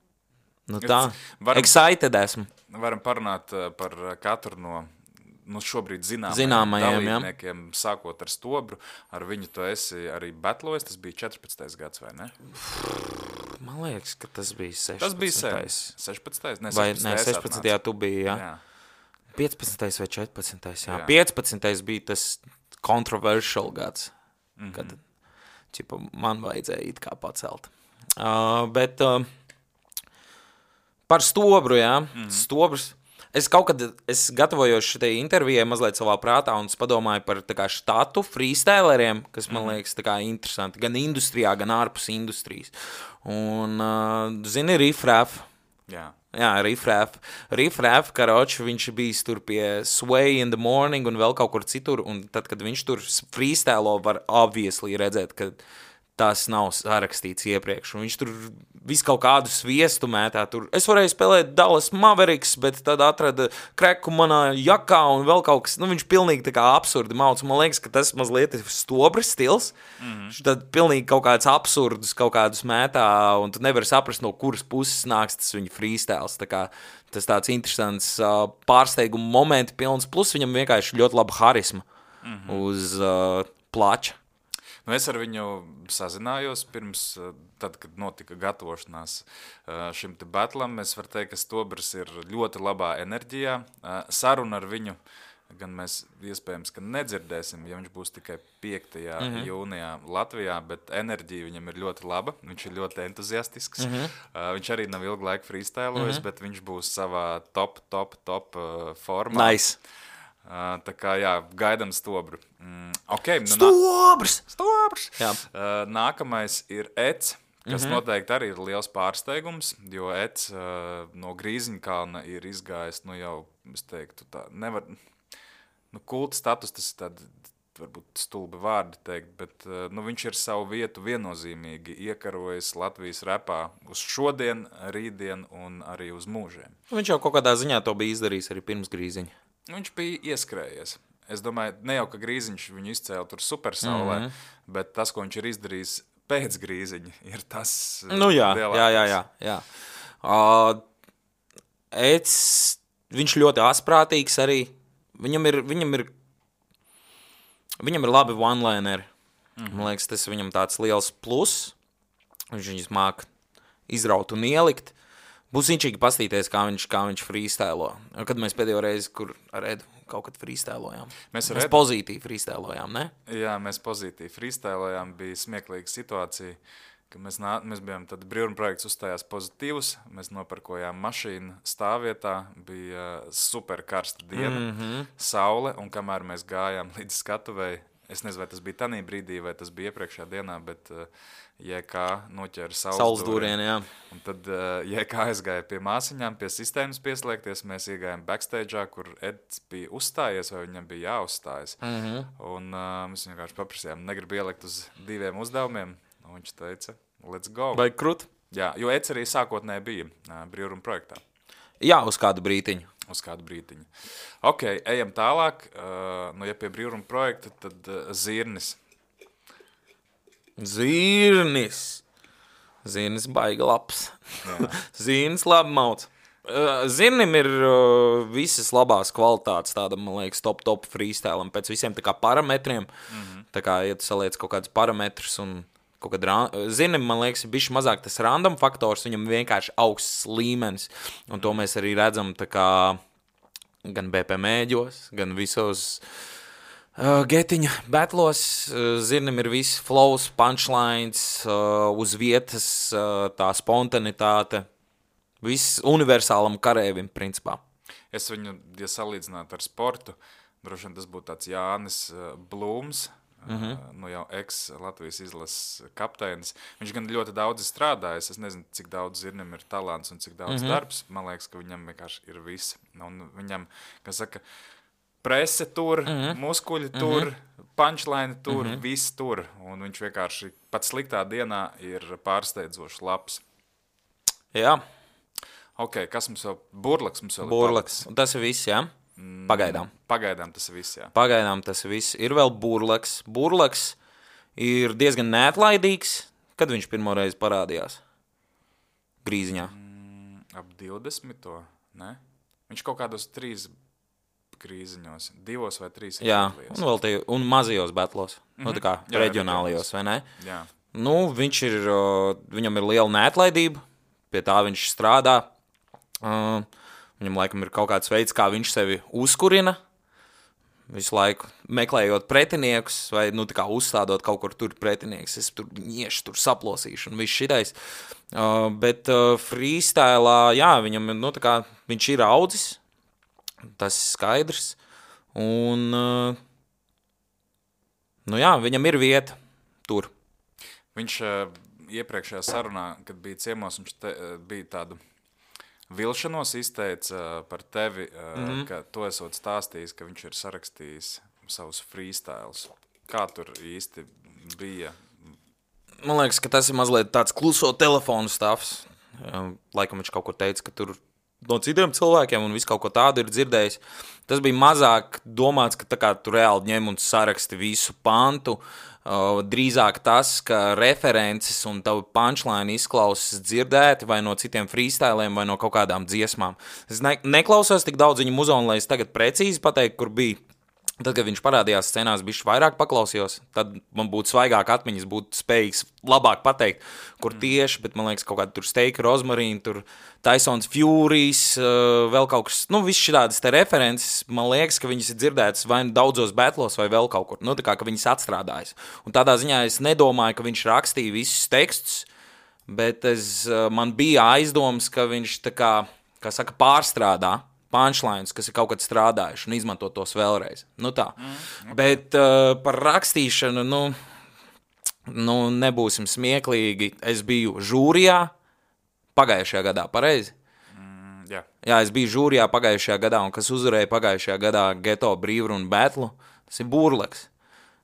Nu tā, varam, excited esmu. Varam parunāt par katru no nu, šobrīd zināmajiem, zināmajiem dalībniekiem, jā. Sākot ar stobru. Ar viņu tu esi arī battlojies, tas bija četrpadsmitais gads, vai ne? Man liekas, ka tas bija sešpadsmitais. Tas bija sen. sešpadsmitais? Ne, vai, ne, sešpadsmitajā tu biji, jā. jā. piecpadsmitais vai četrpadsmitais, jā. jā. piecpadsmitais bija tas controversial gads, mm-hmm. kad ķipa, man vajadzēja it kā pacelt. Uh, bet uh, par stobru, jā. Mm-hmm. Stobrs. Es kaut kad, es gatavojos šitai intervijai mazliet savā prātā un es padomāju par tā kā štatu freestyleriem, kas man liekas tā kā interesanti, gan industrijā, gan ārpus industrijas. Un, uh, zini, Riff Raff, Jā. Jā, Riff-Raff. Riff-Raff, karoči, viņš bijis tur pie Sway in the Morning un vēl kaut kur citur, un tad, kad viņš tur freestylo, var obviously redzēt, ka tas nav sarakstīts iepriekš, un viņš tur visu kaut kādu sviestu mētā. Tur. Es varēju spēlēt Dallas Mavericks, bet tad atrada kreku manā jakā un vēl kaut kas. Nu, viņš pilnīgi tā kā absurdi mauc. Man liekas, ka tas mazliet ir stobras stils. Mm-hmm. Viņš tad pilnīgi kaut kāds absurdus kaut kādus mētā, un tu nevari saprast, no kuras puses nāks tas viņa freestyles. Tā kā tas tāds interesants uh, pārsteiguma momenti pilns, plus viņam vienkārši ļoti laba harisma mm-hmm. uz uh, plača. Nu, es ar viņu sazinājos pirms, tad, kad notika gatavošanās šim te battlam. Es varu teikt, ka Stobrs ir ļoti labā enerģijā. Saruna ar viņu gan mēs iespējams, ka nedzirdēsim, ja viņš būs tikai piektajā mm-hmm. jūnijā Latvijā, bet enerģija viņam ir ļoti laba. Viņš ir ļoti entuziastisks. Mm-hmm. Viņš arī nav ilgu laiku freestylojis, mm-hmm. bet viņš būs savā top, top, top formā. Nice. Uh, tā kā, jā, gaidam Stobru. Mm, okay, nu, Stobrs! Stobrs! Jā. Uh, nākamais ir Eds, kas mm-hmm. noteikti arī ir liels pārsteigums, jo Eds uh, no Grīziņkalna ir izgājis, nu jau, es teiktu, tā nevar, nu kulta status, tas ir tādi, varbūt stulbi vārdi teikt, bet uh, nu, viņš ir savu vietu viennozīmīgi iekarojis Latvijas repā uz šodien, rītdien un arī uz mūžiem. Viņš jau kaut kādā ziņā to bija izdarījis arī pirms Grīziņa. Viņš bija ieskrējies. Es domāju, ne jau, ka Grīziņš viņu izcēla tur supersaulē, mm-hmm. bet tas, ko viņš ir izdarījis pēc Grīziņa, ir tas nu jā, lielākais. Jā, jā, jā. jā. Uh, Eds, viņš ļoti asprātīgs arī. Viņam ir, viņam ir, viņam ir labi one-lineri. Mm-hmm. Man liekas, tas viņam tāds liels plus. Viņš viņus māk izraut un ielikt. Būs inčīgi pastīties, kā viņš, kā viņš freestylo. Kad mēs pēdējo reizi, kur ar Edu kaut kad freestylojām. Mēs, mēs Edu... pozitīvi freestylojām, ne? Jā, mēs pozitīvi freestylojām. Bija smieklīga situācija, ka mēs, nā... mēs bijām tad brīvuma projekts uzstājās pozitīvus. Mēs noparkojām mašīnu stāvvietā. Bija super karsta diena, mm-hmm. saule, un kamēr mēs gājām līdz skatuvei, es nezinu, vai tas bija tanī brīdī, vai tas bija iepriekšējā dienā, bet uh, J K noķēra saules, saules dūrienu, jā. Un tad uh, J K aizgāja pie māsiņām, pie sistēmas pieslēgties, mēs iegājām backstage'ā, kur Eds bija uzstājies, vai viņam bija jāuzstājas. Mm-hmm. Un uh, mēs vienkārši paprasījām, negribu ielikt uz diviem uzdevumiem, un viņš teica, let's go. Vai krut? Jā, jo Eds arī sākotnēji bija uh, brīvuma projektā. Jā, uz kādu brītiņu. Uz kādu brītiņu. Ok, ejam tālāk. Uh, nu, ja pie brīvuma projekta, tad uh, Zirnis. Zirnis. Zirnis baiga labs. Zirnis labi mauc. Uh, Zirnim ir uh, visas labās kvalitātes, tāda, man liekas, top, top freestylam, pēc visiem tā kā parametriem. Mm-hmm. Tā kā, ja tu saliec kaut kādus parametrus un kaut kad ra- Zirnim, man liekas, ir bišķi mazāk tas random faktors, viņam vienkārši augsts līmenis. Un to mēs arī redzam tā kā gan B P mēģos, gan visos uh, getiņa betlos. Uh, Zirnim ir visi flows, punchlines, uh, uz vietas uh, tā spontanitāte. Viss universālam karēvim, principā. Es viņu, ja salīdzinātu ar sportu, droši vien tas būtu tāds Jānis uh, Blūms, Mm-hmm. Uh, nu jau ex-Latvijas izlases kapteinis. Viņš gan ļoti daudz strādājis. Es nezinu, cik daudz Zirnim ir talants un cik daudz mm-hmm. darbs. Man liekas, ka viņam vienkārši ir viss. Un viņam, kā saka, prese tur, mm-hmm. muskuļi tur, mm-hmm. punchline tur, mm-hmm. viss tur. Un viņš vienkārši pat sliktā dienā ir pārsteidzoši labs. Jā. Ok, kas mums vēl? Burlaks mums vēl Burlaks. Ir. Tas ir viss, jā? Pagaidām. Pagaidām tas ir viss, jā. Pagaidām tas ir viss. Ir vēl Burlaks. Burlaks ir diezgan neatlaidīgs. Kad viņš pirmo reizi parādījās? Grīziņā. Mm, ap divdesmito, ne? Viņš kaut kādos trīs grīziņos, divos vai trīs. Jā, un vēl tie, un mazajos betlos. Mm-hmm. Nu, tā kā jā, reģionālajos, vai ne? Jā. Nu, viņš ir, viņam ir liela neatlaidība. Pie tā viņš strādā. Uh, Viņam laikam ir kaut kāds veids, kā viņš sevi uzkurina, visu laiku meklējot pretiniekus, vai nu tā kā uzstādot kaut kur tur pretinieks. Es tur iešu, tur saplosīšu un viss šitais. Uh, bet uh, freestylā, jā, viņam, nu tā kā viņš ir audzis, tas ir skaidrs. Un, uh, nu jā, viņam ir vieta tur. Viņš uh, iepriekšējā sarunā, kad bija ciemos, viņš te, uh, bija tādu vilšanos izteica par tevi, Mhm. ka tu esot stāstījis, ka viņš ir sarakstījis savus freestyles. Kā tur īsti bija? Man liekas, ka tas ir mazliet tāds kluso telefonu stāvs. Laikam viņš kaut ko teica, ka tur no citiem cilvēkiem un visu kaut ko tādu ir dzirdējis. Tas bija mazāk domāts, ka tā kā tu reāli ņem un saraksti visu pantu. Uh, drīzāk tas, ka references un tavu punchline izklausas dzirdēti vai no citiem freestyliem vai no kaut kādām dziesmām. Es ne, neklausos tik daudz viņa muzonu, lai es tagad precīzi pateiktu, kur bija. Tad, kad viņš parādījās scenās, bišķi vairāk paklausījos, tad man būtu svaigāk atmiņas, būtu spējīgs labāk pateikt, kur tieši, bet man liekas, kaut kāda tur Steika, Rozmarīna, tur Tysons Furijas, uh, vēl kaut kas, nu, viss šādas te references, man liekas, ka viņas ir dzirdētas vai daudzos battlos vai vēl kaut kur, nu, tā kā, ka viņas atstrādājas. Un tādā ziņā es nedomāju, ka viņš rakstīja visus tekstus, bet es, uh, man bija aizdoms, ka viņš tā kā, kā saka, pārstrādā punchlines, kas ir kaut kad strādājuši un izmanto tos vēlreiz. Nu tā. Mm, okay. Bet uh, par rakstīšanu, nu, nu, nebūsim smieklīgi. Es biju žūrijā pagājušajā gadā, pareizi? Mm, jā. Jā, es biju žūrijā pagājušajā gadā, un kas uzvarēja pagājušajā gadā Geto brīvrunu batlu, tas ir Burleks.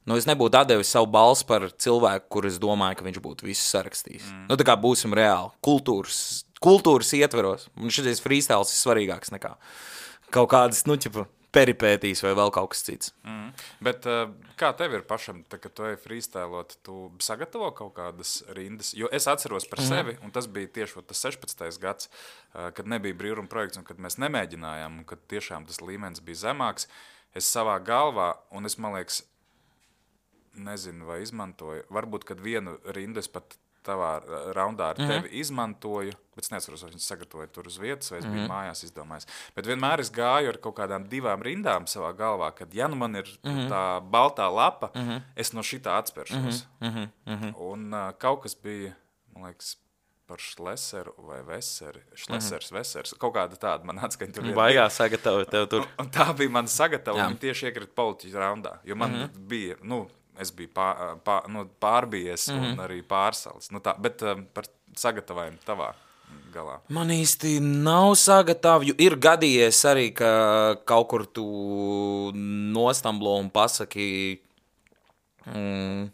Nu, es nebūtu atdevis savu balsi par cilvēku, kur es domāju, ka viņš būtu visu sarakstījis. Mm. Nu, tā kā būsim reāli. Kultūras kultūras ietveros. Un šis freestyles ir svarīgāks nekā kaut kādas, nu, ķipa, peripētīs vai vēl kaut kas cits. Mm. Bet uh, kā tev ir pašam, tā, kad tu ej freestylot, tu sagatavo kaut kādas rindas? Jo es atceros par mm. sevi, un tas bija tieši tas sešpadsmitais gads, uh, kad nebija brīvruna projekts, un kad mēs nemēģinājām, un kad tiešām tas līmenis bija zemāks. Es savā galvā, un es, man liekas, nezinu, vai izmantoju, varbūt, kad vienu rindu es pat tavā raundā ar tevi mm-hmm. izmantoju, bet es neatceros, vai viņš sagatavoja tur uz vietas, vai es biju mm-hmm. mājās izdomājis. Bet vienmēr es gāju ar kaut kādām divām rindām savā galvā, kad ja nu man ir mm-hmm. tā baltā lapa, mm-hmm. es no šitā atspēršos. Mm-hmm. Mm-hmm. Un uh, kaut kas bija, man liekas, par Šleseru vai Veseri, Šlesers, mm-hmm. Vesers, kaut kāda tāda man atskaņa tur. Baigā sagatavoja tev tur. Un, un tā bija man sagatava, un tieši iekrita politiķu raundā, jo man mm-hmm. bija, nu, es biju pār, pār, nu, pārbijies mm-hmm. un arī pārsalis. Nu tā, bet um, par sagatavojumu tavā galā. Man īsti nav sagatavoju. Ir gadījies arī, ka kaut kur tu nostamblo un pasaki, mm,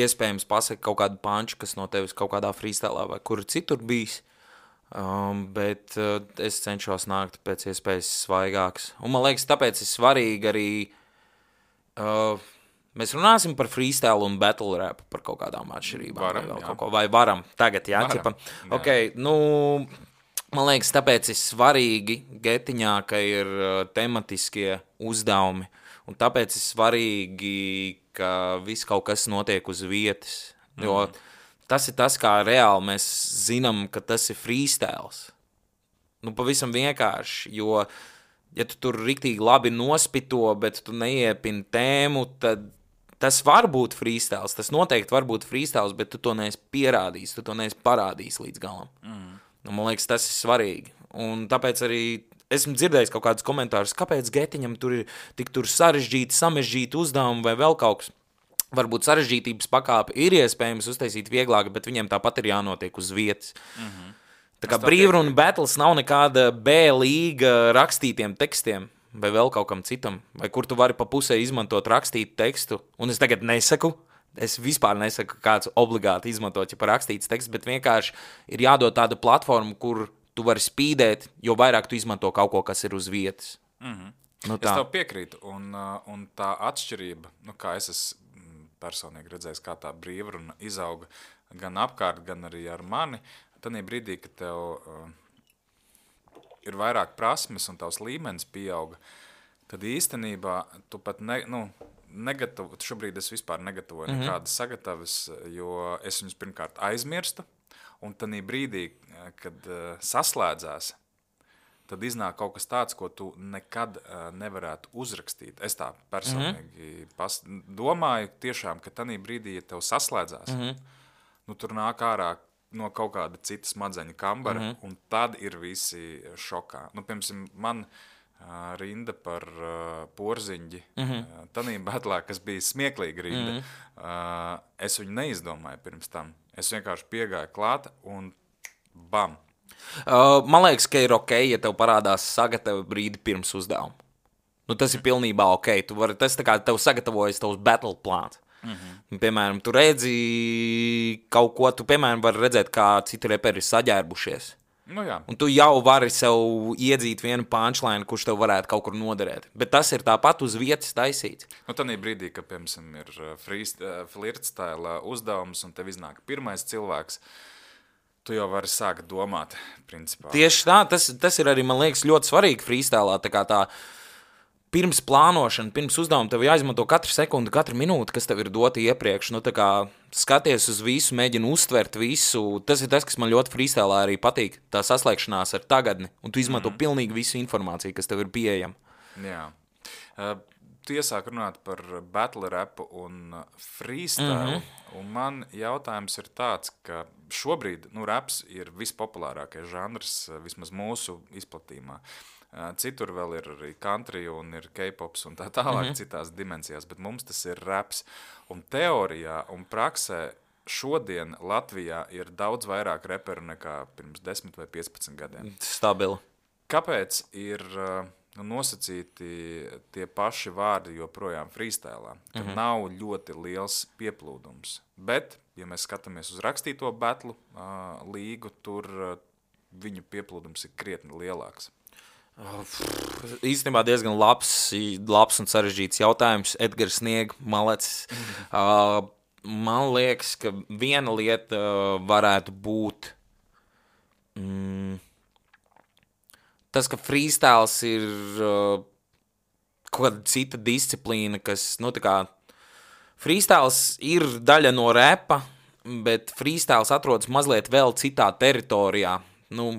iespējams pasaki kaut kādu panču, kas no tevis kaut kādā freestylā vai kur citur bijis. Um, bet uh, es cenšos nākt pēc iespējas svaigāks. Un man liekas, tāpēc ir svarīgi arī Uh, mēs runāsim par freestyle un battle rap, par kaut kādām atšķirībām. Varam, vai, jā. kaut ko, vai varam tagad, jā? Varam, ķipa? jā. Okay, nu, man liekas, tāpēc ir svarīgi getiņā, ka ir uh, tematiskie uzdevumi, un tāpēc ir svarīgi, ka viss kaut kas notiek uz vietas, jo mm. tas ir tas, kā reāli mēs zinām, ka tas ir freestyles. Nu, pavisam vienkārši, jo ja tu tur riktīgi labi nospito, bet tu neiepini tēmu, tad tas var būt freestyles, tas noteikti var būt freestyles, bet tu to neesi pierādījis, tu to neesi parādījis līdz galam. Mm. Un, man liekas, tas ir svarīgi. Un tāpēc arī esmu dzirdējis kaut kādus komentārus, kāpēc getiņam tur ir tik tur sarežģīti, samežģīti uzdevumi vai vēl kaut kas. Varbūt sarežģītības pakāpe ir iespējams uztaisīt vieglāk, bet viņiem tāpat ir jānotiek uz vietas. Mm-hmm. Tā kā brīvruna battles nav nekāda B līga rakstītiem tekstiem vai vēl kaut kam citam, vai kur tu vari pa pusē izmantot rakstītu tekstu, un es tagad nesaku, es vispār nesaku, kāds obligāti izmantot, ja par rakstīts teksts, bet vienkārši ir jādod tāda platforma, kur tu vari spīdēt, jo vairāk tu izmanto kaut ko, kas ir uz vietas. Mm-hmm. Nu, es tev piekrītu, un, un tā atšķirība, nu kā es esmu personīgi redzējis, kā tā brīvruna izauga gan apkārt, gan arī ar mani, tanī brīdī, kad tev uh, ir vairāk prasmes un tavs līmenis pieauga, tad īstenībā tu pat ne, nu, negatavu, šobrīd es vispār negatavoju mm-hmm. nekādas sagatavas, jo es viņus pirmkārt aizmirstu, un tanī brīdī, kad uh, saslēdzās, tad iznāk kaut kas tāds, ko tu nekad uh, nevarētu uzrakstīt. Es tā personīgi mm-hmm. pas, domāju tiešām, ka tanī brīdī, ja tev saslēdzās, mm-hmm. nu tur nāk ārā no kaut kāda cita smadzeņa kambara, mm-hmm. un tad ir visi šokā. Nu, piemēram, man uh, rinda par uh, porziņģi, mm-hmm. uh, tanī batlā, kas bija smieklīga rinda, mm-hmm. uh, es viņu neizdomāju pirms tam. Es vienkārši piegāju klāt un bam. Uh, man liekas, ka ir ok, ja tev parādās sagatava brīdi pirms uzdevuma. Nu, tas ir pilnībā ok. Tu vari, tas tā kā tev sagatavojas tavs battle plāns. Mm-hmm. Piemēram, tu redzi kaut ko, tu piemēram vari redzēt, kā citi reperi ir saģērbušies. Nu, jā. Un tu jau vari sev iedzīt vienu punchline, kurš tev varētu kaut kur noderēt. Bet tas ir tāpat uz vietas taisīts. Nu, tādā brīdī, kad, piemēram, ir flirtstēla uzdevums un tev iznāk pirmais cilvēks, tu jau vari sākt domāt, principā. Tieši tā, tas, tas ir arī, man liekas, ļoti svarīgi freestylā, tā kā tā pirms plānošana, pirms uzdevuma tev jāizmanto katru sekundi, katru minūti, kas tev ir dota iepriekš. Nu, tā kā skaties uz visu, mēģini uztvert visu. Tas ir tas, kas man ļoti freestylā arī patīk, tā saslēgšanās ar tagadni. Un tu izmanto mm. pilnīgi visu informāciju, kas tev ir pieejama. Jā. Uh, tu iesāk runāt par battle rapu un freestyle. Mm-hmm. Un man jautājums ir tāds, ka šobrīd nu, raps ir vispopulārākais žanrs, vismaz mūsu izplatījumā. Citur vēl ir arī country un ir K-pops un tā tālāk mm-hmm. citās dimensijās, bet mums tas ir raps. Un teorijā un praksē šodien Latvijā ir daudz vairāk reperu nekā pirms desmit vai piecpadsmit gadiem. Stabili. Kāpēc ir nu, nosacīti tie paši vārdi joprojām freestylā? Ka mm-hmm. nav ļoti liels pieplūdums. Bet, ja mēs skatāmies uz rakstīto batlu uh, līgu, tur uh, viņu pieplūdums ir krietni lielāks. Īstenībā diezgan labs, labs un sarežģīts jautājums. Edgars Snieg, Malets. Uh, man liekas, ka viena lieta uh, varētu būt mm, tas, ka freestyles ir uh, kaut kāda cita disciplīna, kas, nu, tā kā freestyles ir daļa no repa, bet freestyles atrodas mazliet vēl citā teritorijā. Nu,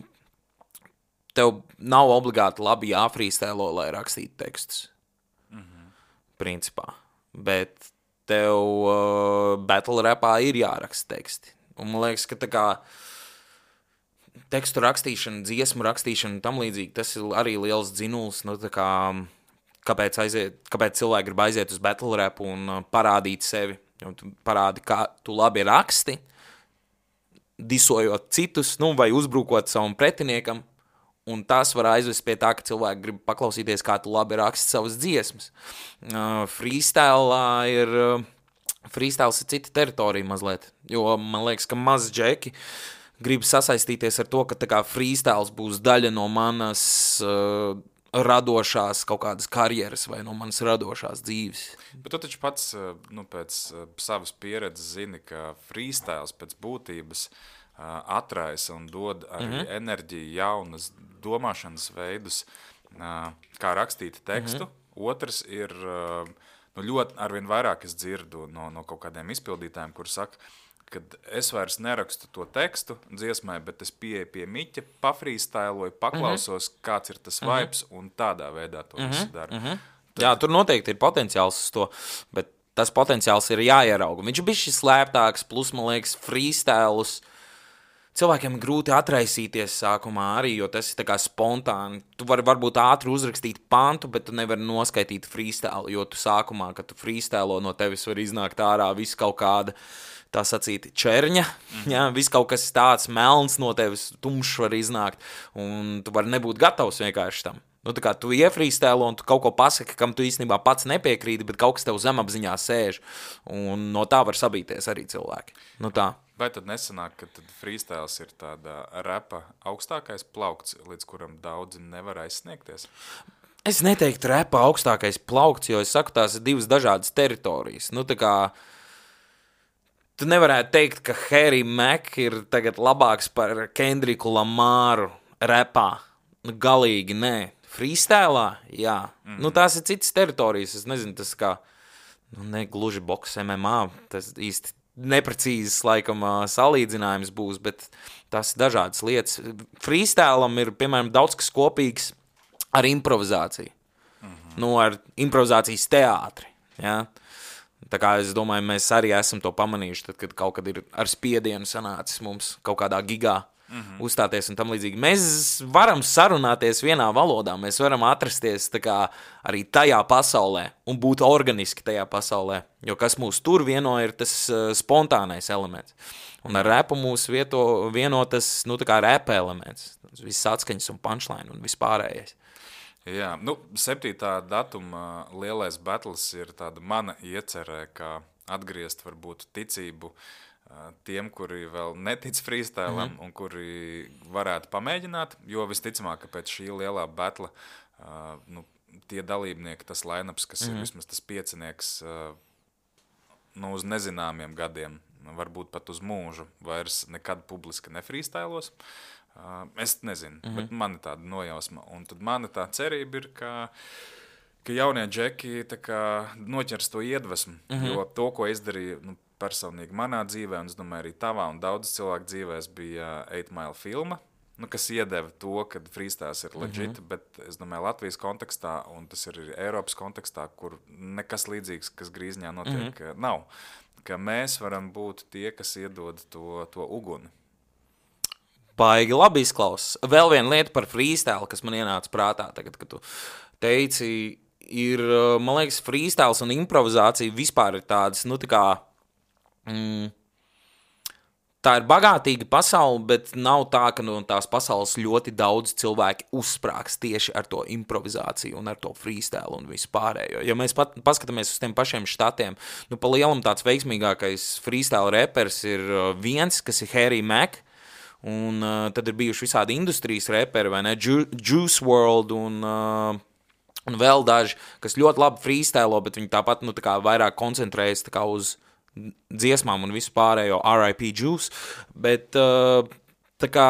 tev nav obligāti labi jāfrīstēlo, lai rakstītu tekstus. Mm-hmm. Principā. Bet tev uh, battle rapā ir jāraksta teksti. Un man liekas, ka tā kā tekstu rakstīšana, dziesmu rakstīšana un tam līdzīgi, tas ir arī liels dzinuls. Nu, tā kā, kāpēc, aiziet, kāpēc cilvēki grib aiziet uz battle rapu un uh, parādīt sevi. Un tu parādi, kā tu labi raksti, disojot citus, nu, vai uzbrukot savam pretiniekam. Un tas var aizvest pie tā, ka cilvēki grib paklausīties, kā tu labi raksti savas dziesmas. Uh, freestyle ir, uh, freestyles ir cita teritorija mazliet, jo man liekas, ka maz džeki grib sasaistīties ar to, ka tā kā freestyles būs daļa no manas uh, radošās kaut kādas karjeras vai no manas radošās dzīves. Bet tu taču pats nu, pēc savas pieredzes zini, ka freestyles pēc būtības atraisa un dod arī mm-hmm. enerģiju, jaunas domāšanas veidus, kā rakstīt tekstu. Mm-hmm. Otrs ir, nu, ļoti arvien vairāk es dzirdu no, no kaut kādiem izpildītājiem, kur saka, kad es vairs nerakstu to tekstu dziesmai, bet es pieeju pie miķa, pafrīstailoju, paklausos, mm-hmm. kāds ir tas vibes, mm-hmm. un tādā veidā to mm-hmm. visu dara. Mm-hmm. Tad... Jā, tur noteikti ir potenciāls uz to, bet tas potenciāls ir jāierauga. Viņš bija šis slēptāks, plus, man liekas, freestylus. Cilvēkiem ir grūti atraisīties sākumā arī, jo tas ir tā kā spontāni. Tu vari varbūt ātri uzrakstīt pantu, bet tu nevari noskaitīt freestyle, jo tu sākumā, kad tu freestylo, no tevis var iznākt ārā viss kaut kāda, tā sacīt, čerņa. Mm. Ja, viss kaut kas tāds melns no tevis, tumšs var iznākt, un tu vari nebūt gatavs vienkārši tam. Nu, tā kā tu iefrīstēlo un tu kaut ko pasaki, kam tu īstenībā pats nepiekrīti, bet kaut kas tev zemapziņā sēž, un no tā var sabīties arī cilvēki. Nu tā. Vai tad nesanāk, ka tad freestyles ir tāda rapa augstākais plaukts, līdz kuram daudzi nevar aizsniegties? Es neteiktu rapa augstākais plaukts, jo es saku, tās ir divas dažādas teritorijas. Nu, tā kā tu nevarētu teikt, ka Harry Mack ir tagad labāks par Kendricku Lamaru rapā. Nu, galīgi nē. Freestylā? Jā. Mm-hmm. Nu, tās ir citas teritorijas. Es nezinu, tas kā, nu, ne gluži boks M M A, tas īsti neprecīzes, laikam, salīdzinājums būs, bet tās ir dažādas lietas. Freestylam ir, piemēram, daudz kas kopīgs ar improvizāciju. Mm-hmm. Nu, ar improvizācijas teātri, jā. Tā kā es domāju, mēs arī esam to pamanījuši, tad, kad kaut kad ir ar spiedienu sanācis mums kaut kādā gigā. mm-hmm. uzstāties un tam līdzīgi. Mēs varam sarunāties vienā valodā, mēs varam atrasties tā kā arī tajā pasaulē un būt organiski tajā pasaulē, jo kas mūs tur vieno ir tas uh, spontānais elements. Un ar rapu mūs vieto, vieno tas, nu tā kā rapa elements, viss atskaņas un punchline un vispārējais. Jā, nu, septītā datuma lielais battles ir tāda mana iecerē, kā atgriezt varbūt ticību tiem, kuri vēl netic freestylam mm-hmm. un kuri varētu pamēģināt, jo visticamāk, ka pēc šī lielā battle nu, tie dalībnieki, tas line-ups, kas mm-hmm. ir vismaz tas piecinieks nu, uz nezināmiem gadiem, varbūt pat uz mūžu, vairs nekad publiski nefreestylos. Es nezinu, mm-hmm. bet man ir tāda nojausma. Un tad mana tā cerība ir, ka, ka jaunie džeki tā kā noķers to iedvesmu, mm-hmm. jo to, ko izdarīja nu, personīgi manā dzīvē, un es domāju arī tavā un daudz cilvēku dzīvēs bija eight mile filma, nu, kas iedeva to, ka freestyles ir legit, mm-hmm. bet es domāju Latvijas kontekstā, un tas ir arī Eiropas kontekstā, kur nekas līdzīgs, kas Grīzņā notiek, mm-hmm. nav. Ka mēs varam būt tie, kas iedod to, to uguni. Baigi labi izklausās. Vēl viena lieta par freestyle, kas man ienāca prātā tagad, kad tu teici, ir, man liekas, freestyles un improvizācija vispār ir tādas, nu tā kā, mm, tā ir bagātīga pasaule, bet nav tā, ka no tās pasaules ļoti daudz cilvēki uzsprāgs tieši ar to improvizāciju un ar to freestyle un visu pārējo. Ja mēs pat paskatāmies uz tiem pašiem štatiem, nu pa lielam tāds veiksmīgākais freestyle repers ir viens, kas ir Harry Mack, un uh, tad ir bijuši visādi industrijas reperi, vai ne, Ju- Juice world un, uh, un vēl daži, kas ļoti labi freestylo, bet viņi tāpat, nu, tā kā vairāk koncentrējas tā kā uz dziesmām un visu pārējo R I P Juice, bet uh, tā kā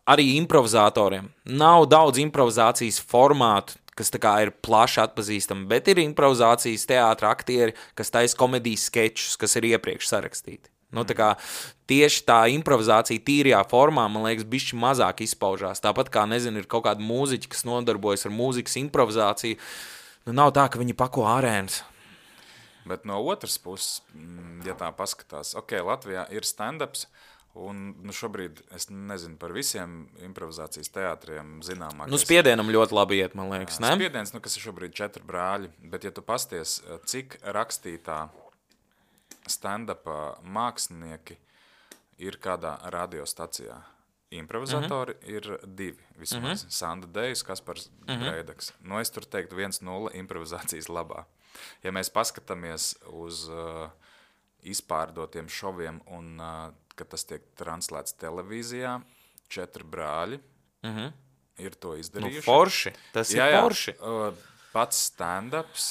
arī improvizatoriem. Nav daudz improvizācijas formātu, kas tā kā ir plaši atpazīstami, bet ir improvizācijas teātra aktieri, kas taisa komedijas skečus, kas ir iepriekš sarakstīti. Nu, tā kā tieši tā improvizācija tīrajā formā, man liekas, bišķi mazāk izpaužās. Tāpat kā, nezinu, ir kaut kāda mūziķa, kas nodarbojas ar mūzikas improvizāciju. Nu, nav tā, ka viņi pako arēnas. Bet no otras puses, ja tā paskatās, ok, Latvijā ir stand-ups, un nu, šobrīd es nezinu par visiem improvizācijas teātriem zināmākais. Nu, Spiedienam ļoti labi iet, man liekas, ne? Spiediens, nu, kas ir šobrīd četri brāļi, bet ja tu pasties, cik rakstītā stand-upā mākslinieki ir kādā radiostacijā. Improvizatori mm-hmm. ir divi, vismaz. Mm-hmm. Sanda Dejs, Kaspars mm-hmm. Breidaks. Nu, es tur teiktu viens nulle improvizācijas labā. Ja mēs paskatāmies uz uh, izpārdotiem šoviem un, uh, kad tas tiek translēts televīzijā, četri brāļi mm-hmm. ir to izdarījuši. Nu, forši. Tas jā, ir jā, forši. Uh, pats stand-ups.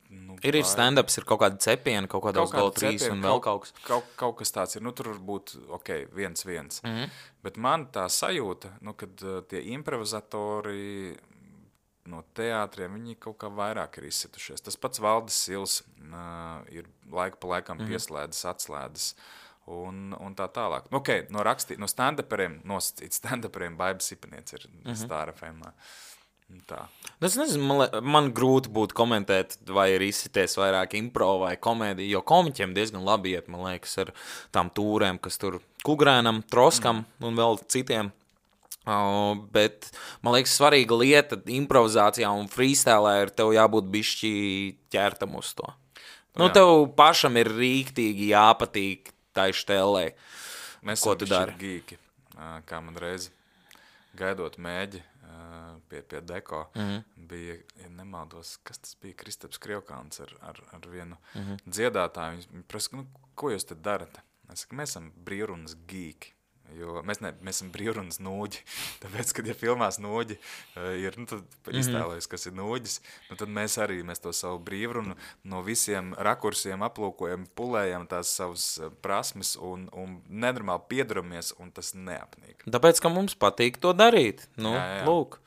Nu, ir ir stand-ups, ir kaut kāda cepiena, kaut kādā uz Go trīs un vēl kaut kas. Kaut, kaut kas tāds ir, nu tur var būt, ok, viens, viens. Mm-hmm. Bet man tā sajūta, nu, kad uh, tie improvizatori no teātriem, viņi kaut kā vairāk ir izsitušies. Tas pats Valdis Sils uh, ir laika pa laikam mm-hmm. pieslēdzis, atslēdzis un, un tā tālāk. Nu, ok, no rakstī, no stand-uperiem, nosacīt stand-uperiem Baiba Sipaniec ir mm-hmm. Stāra F M. Tā. Es nezinu, man, man grūti būtu komentēt, vai ir izsities vairāk impro vai komēdija, jo komiķiem diezgan labi iet, man liekas, ar tām tūrēm, kas tur Kugrēnam, Troskam mm. un vēl citiem. Uh, bet, man liekas, svarīga lieta improvizācijā un freestylē ir tev jābūt bišķi ķertam uz to. Nu, Jā. Tev pašam ir rīktīgi jāpatīk tai štelē, Mēs ko tu dari. Mēs esam gīki, kā man reizi gaidot mēģi, pie, pie deko, mm-hmm. bija, ja nemaldos, kas tas bija, Kristaps Krievkāns ar, ar, ar vienu mm-hmm. dziedātāju. Viņi prasa, nu, ko jūs te darat? Es saku, mēs esam brīvrunas gīki, jo mēs, ne, mēs esam brīvrunas nūģi. Tāpēc, kad ja filmās nūģi ir, nu, tad mm-hmm. iztēlojas, kas ir nūģis, nu, tad mēs arī, mēs to savu brīvrunu no visiem rakursiem aplūkojam, pulējam tās savas prasmes un, un nenormāli piedaramies, un tas neapnīk. Tāpēc, ka mums patīk to darīt. Nu, jā, jā. Lūk.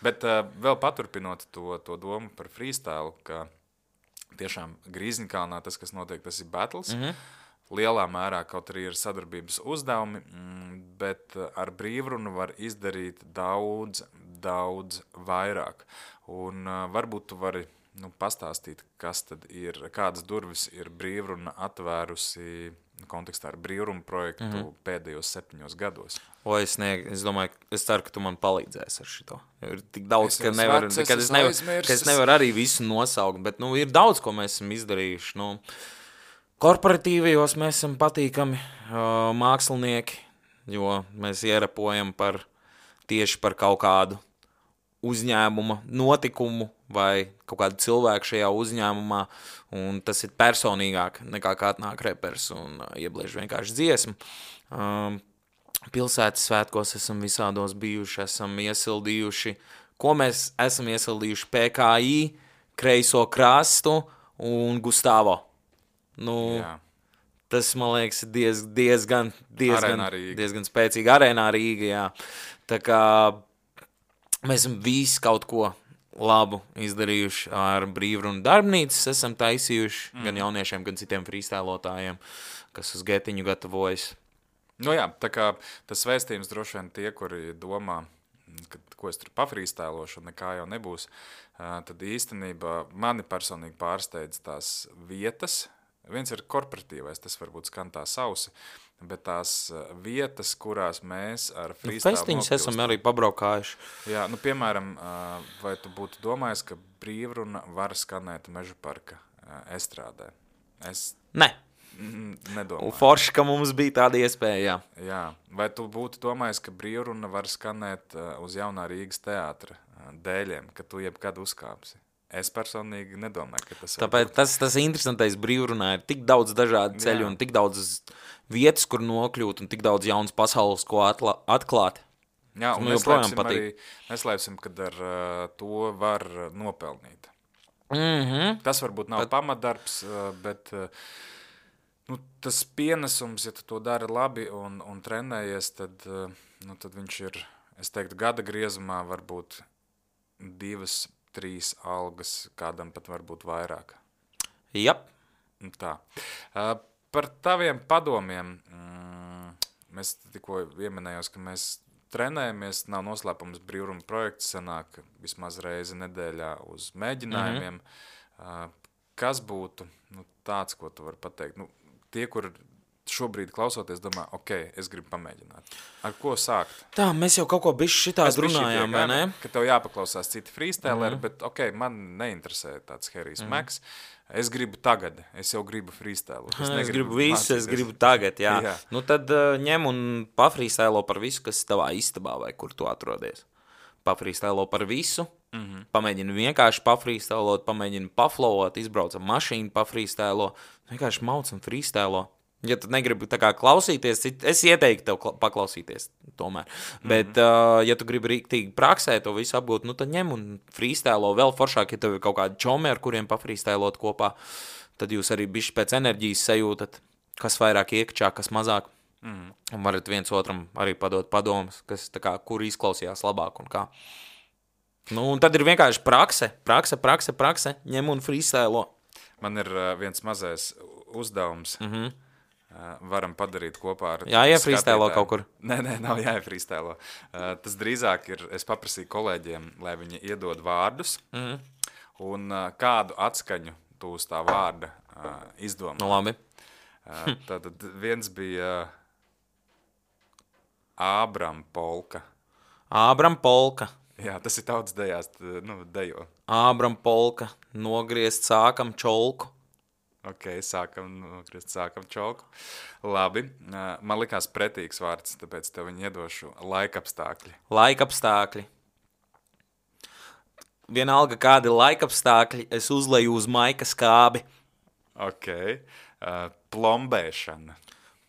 Bet uh, vēl paturpinot to, to domu par freestyle, ka tiešām Grīzņkalnā tas, kas notiek, tas ir battles. Mm-hmm. Lielā mērā kaut arī ir sadarbības uzdevumi, bet ar brīvrunu var izdarīt daudz, daudz vairāk. Un uh, varbūt tu vari nu, pastāstīt, kas tad ir, kādas durvis ir brīvruna atvērusi kontekstā ar brīvrumu projektu mm-hmm. pēdējos septiņos gados. O, es, ne, es domāju, es ceru, ka tu man palīdzēsi ar šito. Ir tik daudz, Es ka esmu nevar, vecs, es kad es, esmu nevar, aizmirsis. ka es nevaru arī visu nosaukt, bet, nu, ir daudz, ko mēs esam izdarījuši. Nu, korporatīvajos mēs esam patīkami uh, mākslinieki, jo mēs ierapojam par, tieši par kaut kādu uzņēmuma notikumu vai kaut kādu cilvēku šajā uzņēmumā, un tas ir personīgāk nekā kā atnāk repers un uh, iebliež vienkārši dziesmu. Um, pilsētas svētkos esam visādos bijuši, esam iesildījuši, ko mēs esam iesildījuši P K I, Kreiso krastu un Gustavo. Nu, Jā. tas, man liekas, ir diez, diezgan, diezgan, Arēnā Rīga. diezgan spēcīgi arēnā Rīga, jā. Tā kā mēs esam visi kaut ko labu izdarījuši ar brīvrunu darbnīcas, esam taisījuši mm. gan jauniešiem, gan citiem freestylotājiem, kas uz getiņu gatavojas. Nu jā, tā kā tas vēstījums droši vien tie, kuri domā, ka, ko es tur pafrīstēlošu un nekā jau nebūs, tad īstenībā mani personīgi pārsteidz tās vietas. Viens ir korporatīvais, tas varbūt skan tā sausi, bet tās vietas, kurās mēs ar freestyle Festiņus esam arī pabraukājuši. Jā, nu piemēram, vai tu būtu domājis, ka brīvruna var skanēt Meža parka estrādē? Es Ne. nedomāju. Forši, ka mums bija tāda iespēja, jā. Jā, vai tu būtu domājis, ka brīvruna var skanēt uz Jaunā Rīgas teātra dēļiem, ka tu jebkad uzkāpsi? Es personīgi nedomāju, ka tas var Tāpēc būt. tas, tas interesantais brīvrunā ir tik daudz dažādu ceļu Jā. un tik daudz vietas, kur nokļūt un tik daudz jaunas pasaules, ko atla, atklāt. Jā, un man joprojām neslēpsim patīk. arī, neslēpsim, kad ar uh, to var uh, nopelnīt. Mhm. Tas varbūt nav pamatdarbs, uh, bet uh, nu, tas pienesums, ja tu to dari labi un, un trenējies, tad, uh, nu, tad viņš ir, es teiktu, gada griezumā varbūt divas, trīs algas, kādam pat varbūt vairāk. Jap. Nu, Tā. Uh, par taviem padomiem, mm, mēs tikko ieminējos, ka mēs trenējamies, nav noslēpums brīvruma projekts, sanāk vismaz reizi nedēļā uz mēģinājumiem. Mm-hmm. Uh, kas būtu nu, tāds, ko tu vari pateikt? Nu, tie, kur šobrīd klausoties, domā, ok, es gribu pamēģināt. Ar ko sākt? Tā, mēs jau kaut ko bišķi šitādi runājām, vai ne? Ka tev jāpaklausās citi freestyleri, mm. bet ok, man neinteresē tāds Herijs mm. Max. Es gribu tagad, es jau gribu freestylu. Es, es gribu visu, es gribu tagad, jā. jā. Nu tad uh, ņem un pafreestylo par visu, kas tavā istabā vai kur tu atrodies. Pafreestylo par visu, mm-hmm. pamēģini vienkārši pafreestylot, pamēģini paflowot, izbraucam mašīnu, pafreestylo, vienkārši mauc un freestylo. Ja tu negribi tā kā klausīties, es ieteiktu tev paklausīties tomēr. Mm-hmm. Bet, uh, ja tu gribi rīktīgi praksē to visu apgūt, nu tad ņem un freestylo vēl foršāk, ja tev ir kaut kādi čomi, ar kuriem pafreestylot kopā, tad jūs arī bišķi pēc enerģijas sajūtat, kas vairāk iekšā, kas mazāk. Mm-hmm. Un varat viens otram arī padot padomus, kas tā kā, kur izklausījās labāk un kā. Nu, un tad ir vienkārši prakse, prakse, prakse, prakse, ņem un freestylo. Man ir uh, viens mazais uzdevums. Mhm. Varam padarīt kopā ar Jā, iefrīstēlo kaut kur. Nē, nē, nav jāiefrīstēlo. Uh, tas drīzāk ir, es paprasīju kolēģiem, lai viņi iedod vārdus, mm. un uh, kādu atskaņu tu uz tā vārda uh, izdomā. Nu, labi. Uh, tātad viens bija uh, Ābram Polka. Ābram Polka. Jā, tas ir tautas dejās, nu, dejo. Ābram Polka. Nogriezt sākam čolku. Ok, sākam, nokrist, sākam čolku. Labi, man likās pretīgs vārds, tāpēc tev viņu iedošu laikapstākļi. Laikapstākļi. Vienalga kādi laikapstākļi, es uzleju uz maika skābi. Ok, uh, plombēšana.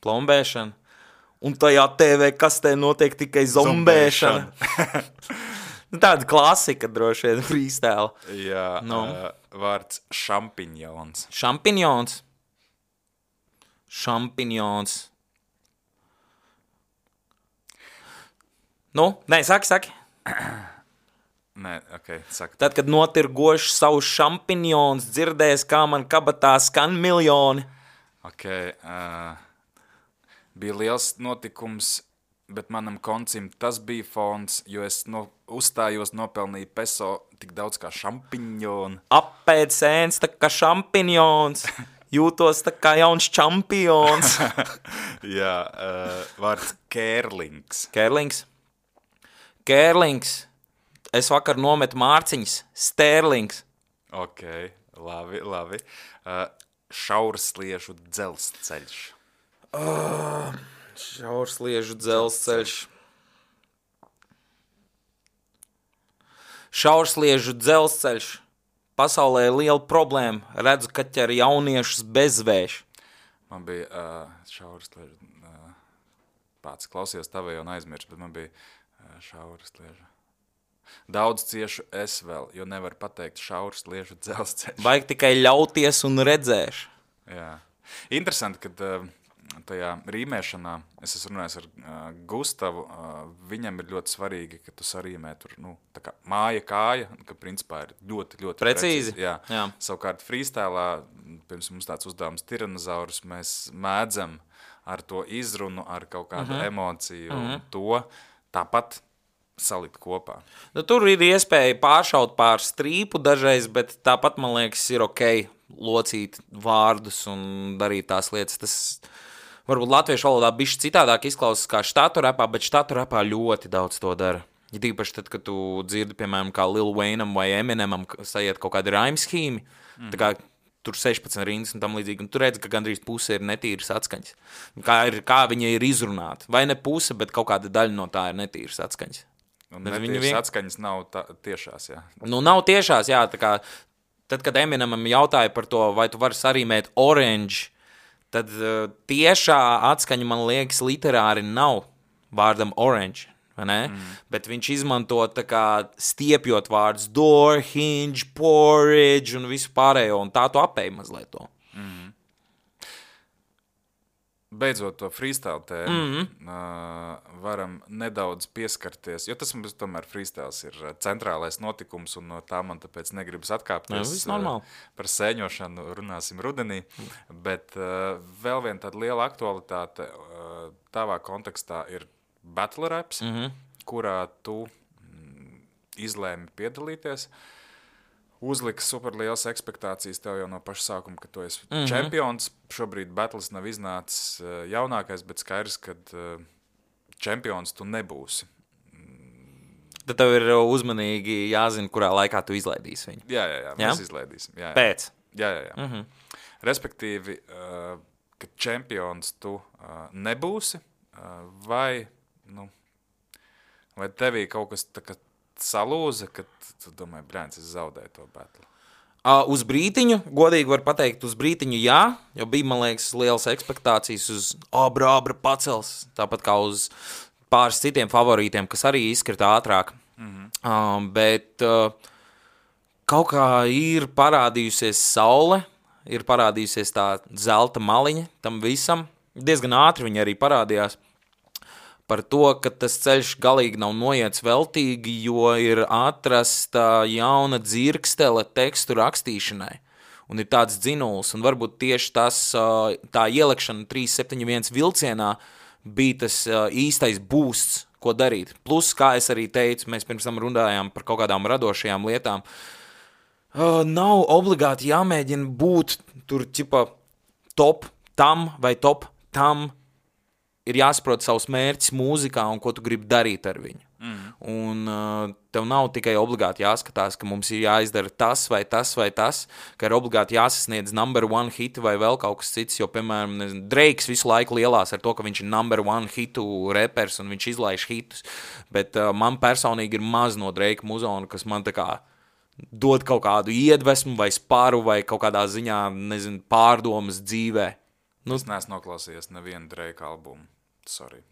Plombēšana. Un tajā T V kastē notiek tikai zombēšana. Tāda klasika droši vien freestyle. Jā, no. uh, vārds šampiņons. Šampiņons. Šampiņons. Nu, nē, saki, saki. Nē, ok, saka. Tad, kad notirgošu savus šampiņons, dzirdēs, kā man kabatā skan miljoni. Ok, uh, bija liels notikums, bet manam koncim tas bija fons, jo es no, uzstājos, nopelnīju peso tik daudz kā šampiņoni. Apēd sēns tā kā šampiņons, jūtos tā kā jauns čempions. Jā, uh, vārds kērlings. Kērlings. Kērlings. Es vakar nometu mārciņas. Stērlings. Ok, labi, labi. Uh, šaursliežu dzelzceļš. Oh, šaursliežu dzelzceļš. Šaursliežu dzelzceļš. Pasaulē ir liela problēma. Redzu, ka ķer jauniešus bezvēš. Man bija uh, šaursliežu... Uh, pats klausījos tavējo un aizmirst, bet man bija uh, šaursliežu. Daudz ciešu es vēl, jo nevar pateikt šaursliežu dzelzceļš. Vajag tikai ļauties un redzēšu. Jā. Interesanti, kad uh, tajā rīmēšanā, es esmu runājis ar uh, Gustavu, uh, viņam ir ļoti svarīgi, ka tu sarīmē tur, nu, tā kā māja kāja, ka principā ir ļoti, ļoti precīzi. precīzi. Jā. Jā. Savukārt freestylā, pirms mums tāds uzdevums tiranozaurus, mēs mēdzam ar to izrunu, ar kaut kādu uh-huh. emociju uh-huh. un to tāpat salikt kopā. Nu, tur ir iespēja pāršaut pār strīpu dažreiz, bet tāpat, man liekas, ir ok locīt vārdus un darīt tās lietas. Tas varbūt latviešu valodā bišķi citādāk izklausās kā štatu rapā, bet štatu rapā ļoti daudz to dara. Ja tīpaši tad, kad tu dzirdi, piemēram, kā Lil Wayneam vai Eminemam sajiet kaut kādi rhyme schīmi, mm. tā kā tur sešpadsmit rindas un tam līdzīgi, un tu redzi, ka gandrīz puse ir netīras atskaņas. Kā, ir, kā viņa ir izrunāta. Vai ne puse, bet kaut kāda daļa no tā ir netīras atskaņas. Un netīras vien... atskaņas nav tā, tiešās, jā. Nu, nav tiešās, jā. Tā kā, tad, kad Eminemam jautāja par to, vai tu vari sarīmēt orange, tad uh, tiešā atskaņa, man liekas, literāri nav vārdam orange, vai ne? Mm. Bet viņš izmanto tā kā stiepjot vārdus door, hinge, porridge un visu pārējo, un tā tu apēji mazliet to. Mm. Beidzot to freestyle tēmu, mm-hmm. uh, varam nedaudz pieskarties, jo tas mums tomēr freestyles ir centrālais notikums, un no tā man tāpēc negribas atkāpties. Jā, uh, par sēņošanu runāsim rudenī, bet uh, vēl viena tāda liela aktualitāte uh, tavā kontekstā ir battle raps, mm-hmm. kurā tu mm, izlēmi piedalīties. Uzliks super lielas ekspektācijas tev jau no paša sākuma, ka tu esi mm-hmm. čempions. Šobrīd battles nav iznācis uh, jaunākais, bet skaidrs, ka uh, čempions tu nebūsi. Tad tev ir uzmanīgi jāzina, kurā laikā tu izlaidīsi viņu. Jā, jā, jā, mēs jā? izlaidīsim. Jā, jā. Pēc? Jā, jā, jā. Mm-hmm. Respektīvi, uh, ka čempions tu uh, nebūsi, uh, vai, nu, vai tevī kaut kas tā kā salūza, kad tu domāji, bļēns, es zaudēju to battle? Uh, uz brītiņu, godīgi var pateikt, uz brītiņu jā, jo bija, man liekas, lielas ekspektācijas uz abra, abra pacels, tāpat kā uz pāris citiem favorītiem, kas arī izkrita ātrāk. Mm-hmm. Uh, bet uh, kaut kā ir parādījusies saule, ir parādījusies tā zelta maliņa tam visam. Diezgan ātri viņa arī parādījās. Par to, ka tas ceļš galīgi nav noiets veltīgi, jo ir atrasta jauna dzirkstele tekstu rakstīšanai. Un ir tāds dzinuls, un varbūt tieši tas, tā ielekšana trīs septiņi viens vilcienā bija tas īstais boosts, ko darīt. Plus, kā es arī teicu, mēs pirms tam runājām par kaut kādām radošajām lietām. Nav obligāti jāmēģina būt tur, ķipa, top tam vai top tam. Ir jāsaprot savus mērķus mūzikā un ko tu gribi darīt ar viņu. Mm. Un uh, tev nav tikai obligāti jāskatās, ka mums ir jāizdara tas vai tas vai tas, ka ir obligāti jāsasniedz number one hitu vai vēl kaut kas cits, jo, piemēram, nezinu, Drakes visu laiku lielās ar to, ka viņš ir number one hitu repers un viņš izlaiž hitus, bet uh, man personīgi ir maz no Drake muzona, kas man tā kā dod kaut kādu iedvesmu vai sparu vai kaut kādā ziņā, nezinu, pārdomas dzīvē. Nu, es neesmu noklausījies nevienu Drake albumu. Sorry.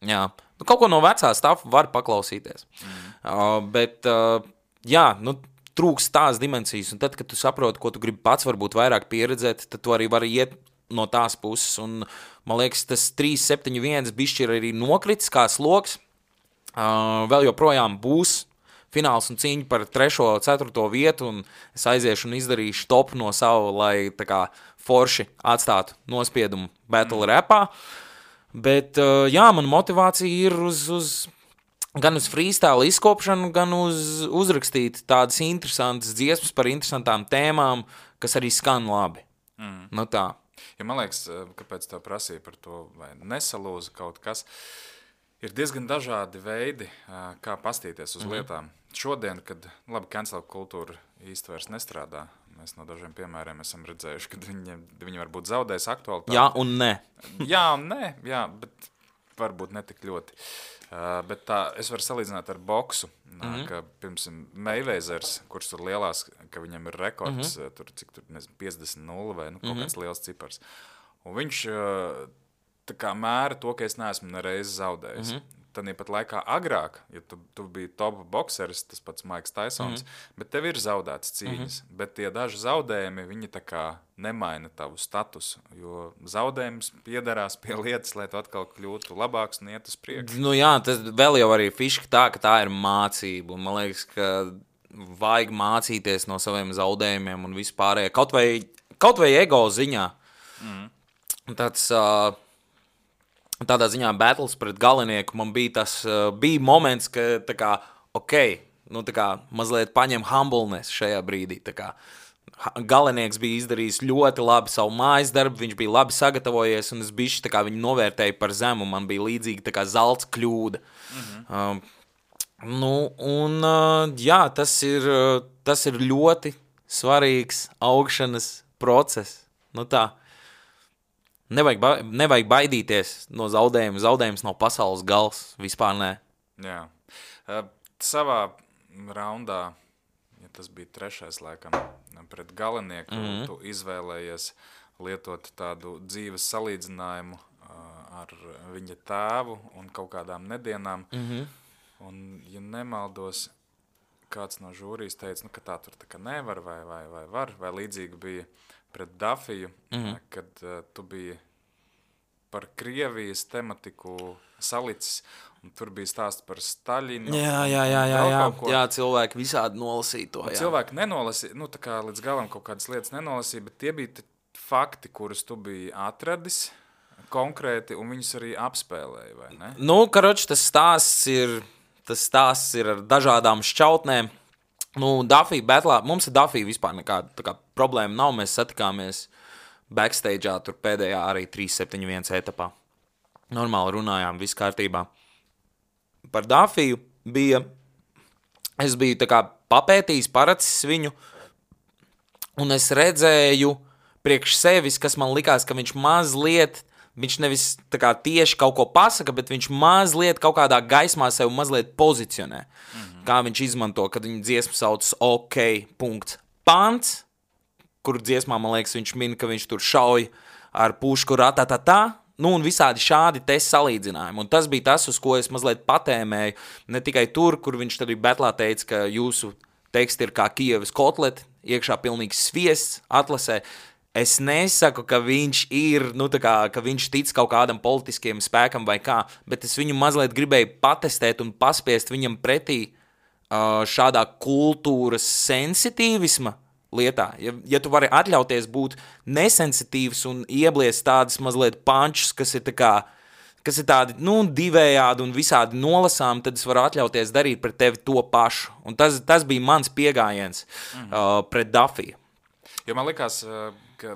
Jā. Nu, kaut ko no vecā stāfa var paklausīties. Mm. Uh, bet, uh, jā, nu, trūks tās dimensijas. Un tad, kad tu saproti, ko tu gribi pats varbūt vairāk pieredzēt, tad tu arī vari iet no tās puses. Un, man liekas, tas trīs septiņi viens bišķi ir arī nokritis kā sloks. Uh, vēl joprojām būs fināls un cīņa par trešo, ceturto vietu, un es aiziešu un izdarīšu topu no savu, lai tā kā forši atstātu nospiedumu battle mm. rapā. Bet, jā, man motivācija ir uz, uz, gan uz freestyle izkopšanu, gan uz uzrakstīt tādas interesantas dziesmas par interesantām tēmām, kas arī skan labi. Mm. Nu tā. Ja man liekas, kāpēc tā prasīja par to, vai nesalūza kaut kas, ir diezgan dažādi veidi, kā pastīties uz mm-hmm. lietām. Šodien, kad labi, cancel kultūra īsti vairs nestrādā, mēs no dažiem piemēriem esam redzējuši, ka viņi, viņi varbūt zaudēs aktualitāti. Jā un nē. jā un nē, jā, bet varbūt ne tik ļoti. Uh, bet tā, es varu salīdzināt ar boksu, mm-hmm. ka, piemēram, Mayweathers, kurš tur lielās, ka viņam ir rekords, mm-hmm. tur, cik tur, nezinu, piecdesmit nulle vai nu, kaut mm-hmm. kāds liels cipars. Un viņš uh, tā kā mēra to, ka es neesmu nereiz zaudējis. Mm-hmm. Tad pat laikā agrāk, ja tu, tu biji top bokseris, tas pats Maiks Taisons, mm-hmm. bet tev ir zaudētas cīņas. Mm-hmm. Bet tie daži zaudējumi, viņi tā kā nemaina tavu statusu, jo zaudējums piederās pie lietas, lai tu atkal kļūtu labāks un iet uz priekšu. Nu jā, tas vēl jau arī fiška tā, ka tā ir mācība. Un man liekas, ka vajag mācīties no saviem zaudējumiem un vispārējā. Kaut vai, kaut vai ego ziņā. Mm-hmm. Tāds... Uh, Tādā ziņā battles pret galinieku man bija tas, uh, bija moments, ka tā kā, ok, nu tā kā mazliet paņem humbleness šajā brīdī, tā kā galinieks bija izdarījis ļoti labi savu mājas darbu, viņš bija labi sagatavojies un es bišķi tā kā viņu novērtēju par zemu, man bija līdzīgi tā kā zelts kļūda. Mm-hmm. Uh, nu, un uh, jā, tas ir, uh, tas ir ļoti svarīgs augšanas process, nu tā. Nevajag, ba- nevajag baidīties no zaudējuma. Zaudējums nav pasaules gals. Vispār nē. Jā. Uh, savā raundā, ja tas bija trešais laikam, pret galinieku, mm-hmm. tu izvēlējies lietot tādu dzīves salīdzinājumu uh, ar viņa tēvu un kaut kādām nedienām. Mm-hmm. Un, ja nemaldos, kāds no žūrijas teica, nu, ka tā tur tā kā nevar vai, vai, vai var, vai līdzīgi bija pret Dafiju, mm-hmm. kad uh, tu biji par Krievijas tematiku salicis, un tur bija stāsts par Staļinu. Jā, jā, jā, jā, jā. jā cilvēki visādi nolasīja to. Jā. Cilvēki nenolasīja, nu tā kā līdz galam kaut kādas lietas nenolasīja, bet tie bija fakti, kurus tu biji atradis konkrēti, un viņus arī apspēlēja, vai ne? Nu, karoči, tas stāsts ir, tas stāsts ir ar dažādām šķautnēm. Nu, Dafija betlā, mums ir Dafija vispār nekāda tā kā problēma nav, mēs satikāmies backstage'ā tur pēdējā arī trīs septiņi viens etapā. Normāli runājām, viss kārtībā. Par Dafiju bija, es biju tā kā papētījis, paracis viņu, un es redzēju priekš sevis, kas man likās, ka viņš mazliet, viņš nevis tā kā tieši kaut ko pasaka, bet viņš mazliet kaut kādā gaismā sev mazliet pozicionē. Mm-hmm. Kā viņš izmanto, kad viņa dziesma sauc OK. Pants, kur dziesmā, man liekas, viņš min, ka viņš tur šauj ar pušku ratatatā, nu un visādi šādi te salīdzinājumi. Un tas bija tas, uz ko es mazliet patēmēju, ne tikai tur, kur viņš tad betlā teica, ka jūsu teksti ir kā Kievas kotleti, iekšā pilnīgs sviests atlasē. Es nesaku, ka viņš ir, nu tā kā, ka viņš tic kaut kādam politiskiem spēkam vai kā, bet es viņu mazliet gribēju patestēt un paspiest viņam pretī uh, šādā kultūras sensitīvisma lietā. Ja, ja tu vari atļauties būt nesensitīvs un iebliest tādas mazliet pančus, kas ir tā kā, kas ir tādi, nu, divējādi un visādi nolasām, tad es varu atļauties darīt pret tevi to pašu. Un tas, tas bija mans piegājiens mm-hmm. uh, pret Dafiju. Jo man likās, ka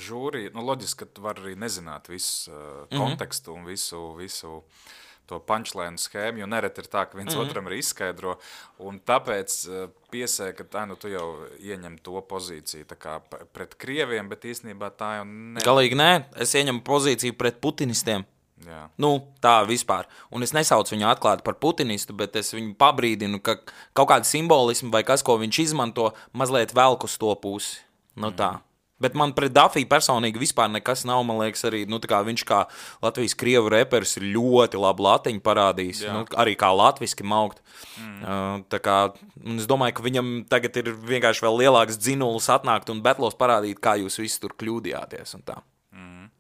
žūrija, nu loģiski, ka tu vari arī nezināt visu uh, kontekstu mm-hmm. un visu, visu to punchline schēmu, jo nereti ir tā, ka viens mm-hmm. otram ir izskaidro, un tāpēc uh, piesēja, ka tā, nu, tu jau ieņem to pozīciju tā kā pret krieviem, bet īstenībā tā jau ne... Galīgi nē, es ieņemu pozīciju pret putinistiem. Jā. Nu, tā vispār. Un es nesaucu viņu atklāti par putinistu, bet es viņu pabrīdinu, ka kaut kāda simbolismu vai kas, ko viņš izmanto, mazliet velk uz to pusi. Nu tā. Mm. Bet man pret Dafiju personīgi vispār nekas nav, man liekas, arī, nu tā kā viņš kā Latvijas krievu reperis ir ļoti labu latiņu parādījis, nu, arī kā latviski maukt. Mm. Uh, tā kā, un es domāju, ka viņam tagad ir vienkārši vēl lielāks dzinulis atnākt un betlos parādīt, kā jūs visi tur kļūdījāties un tā. Mm.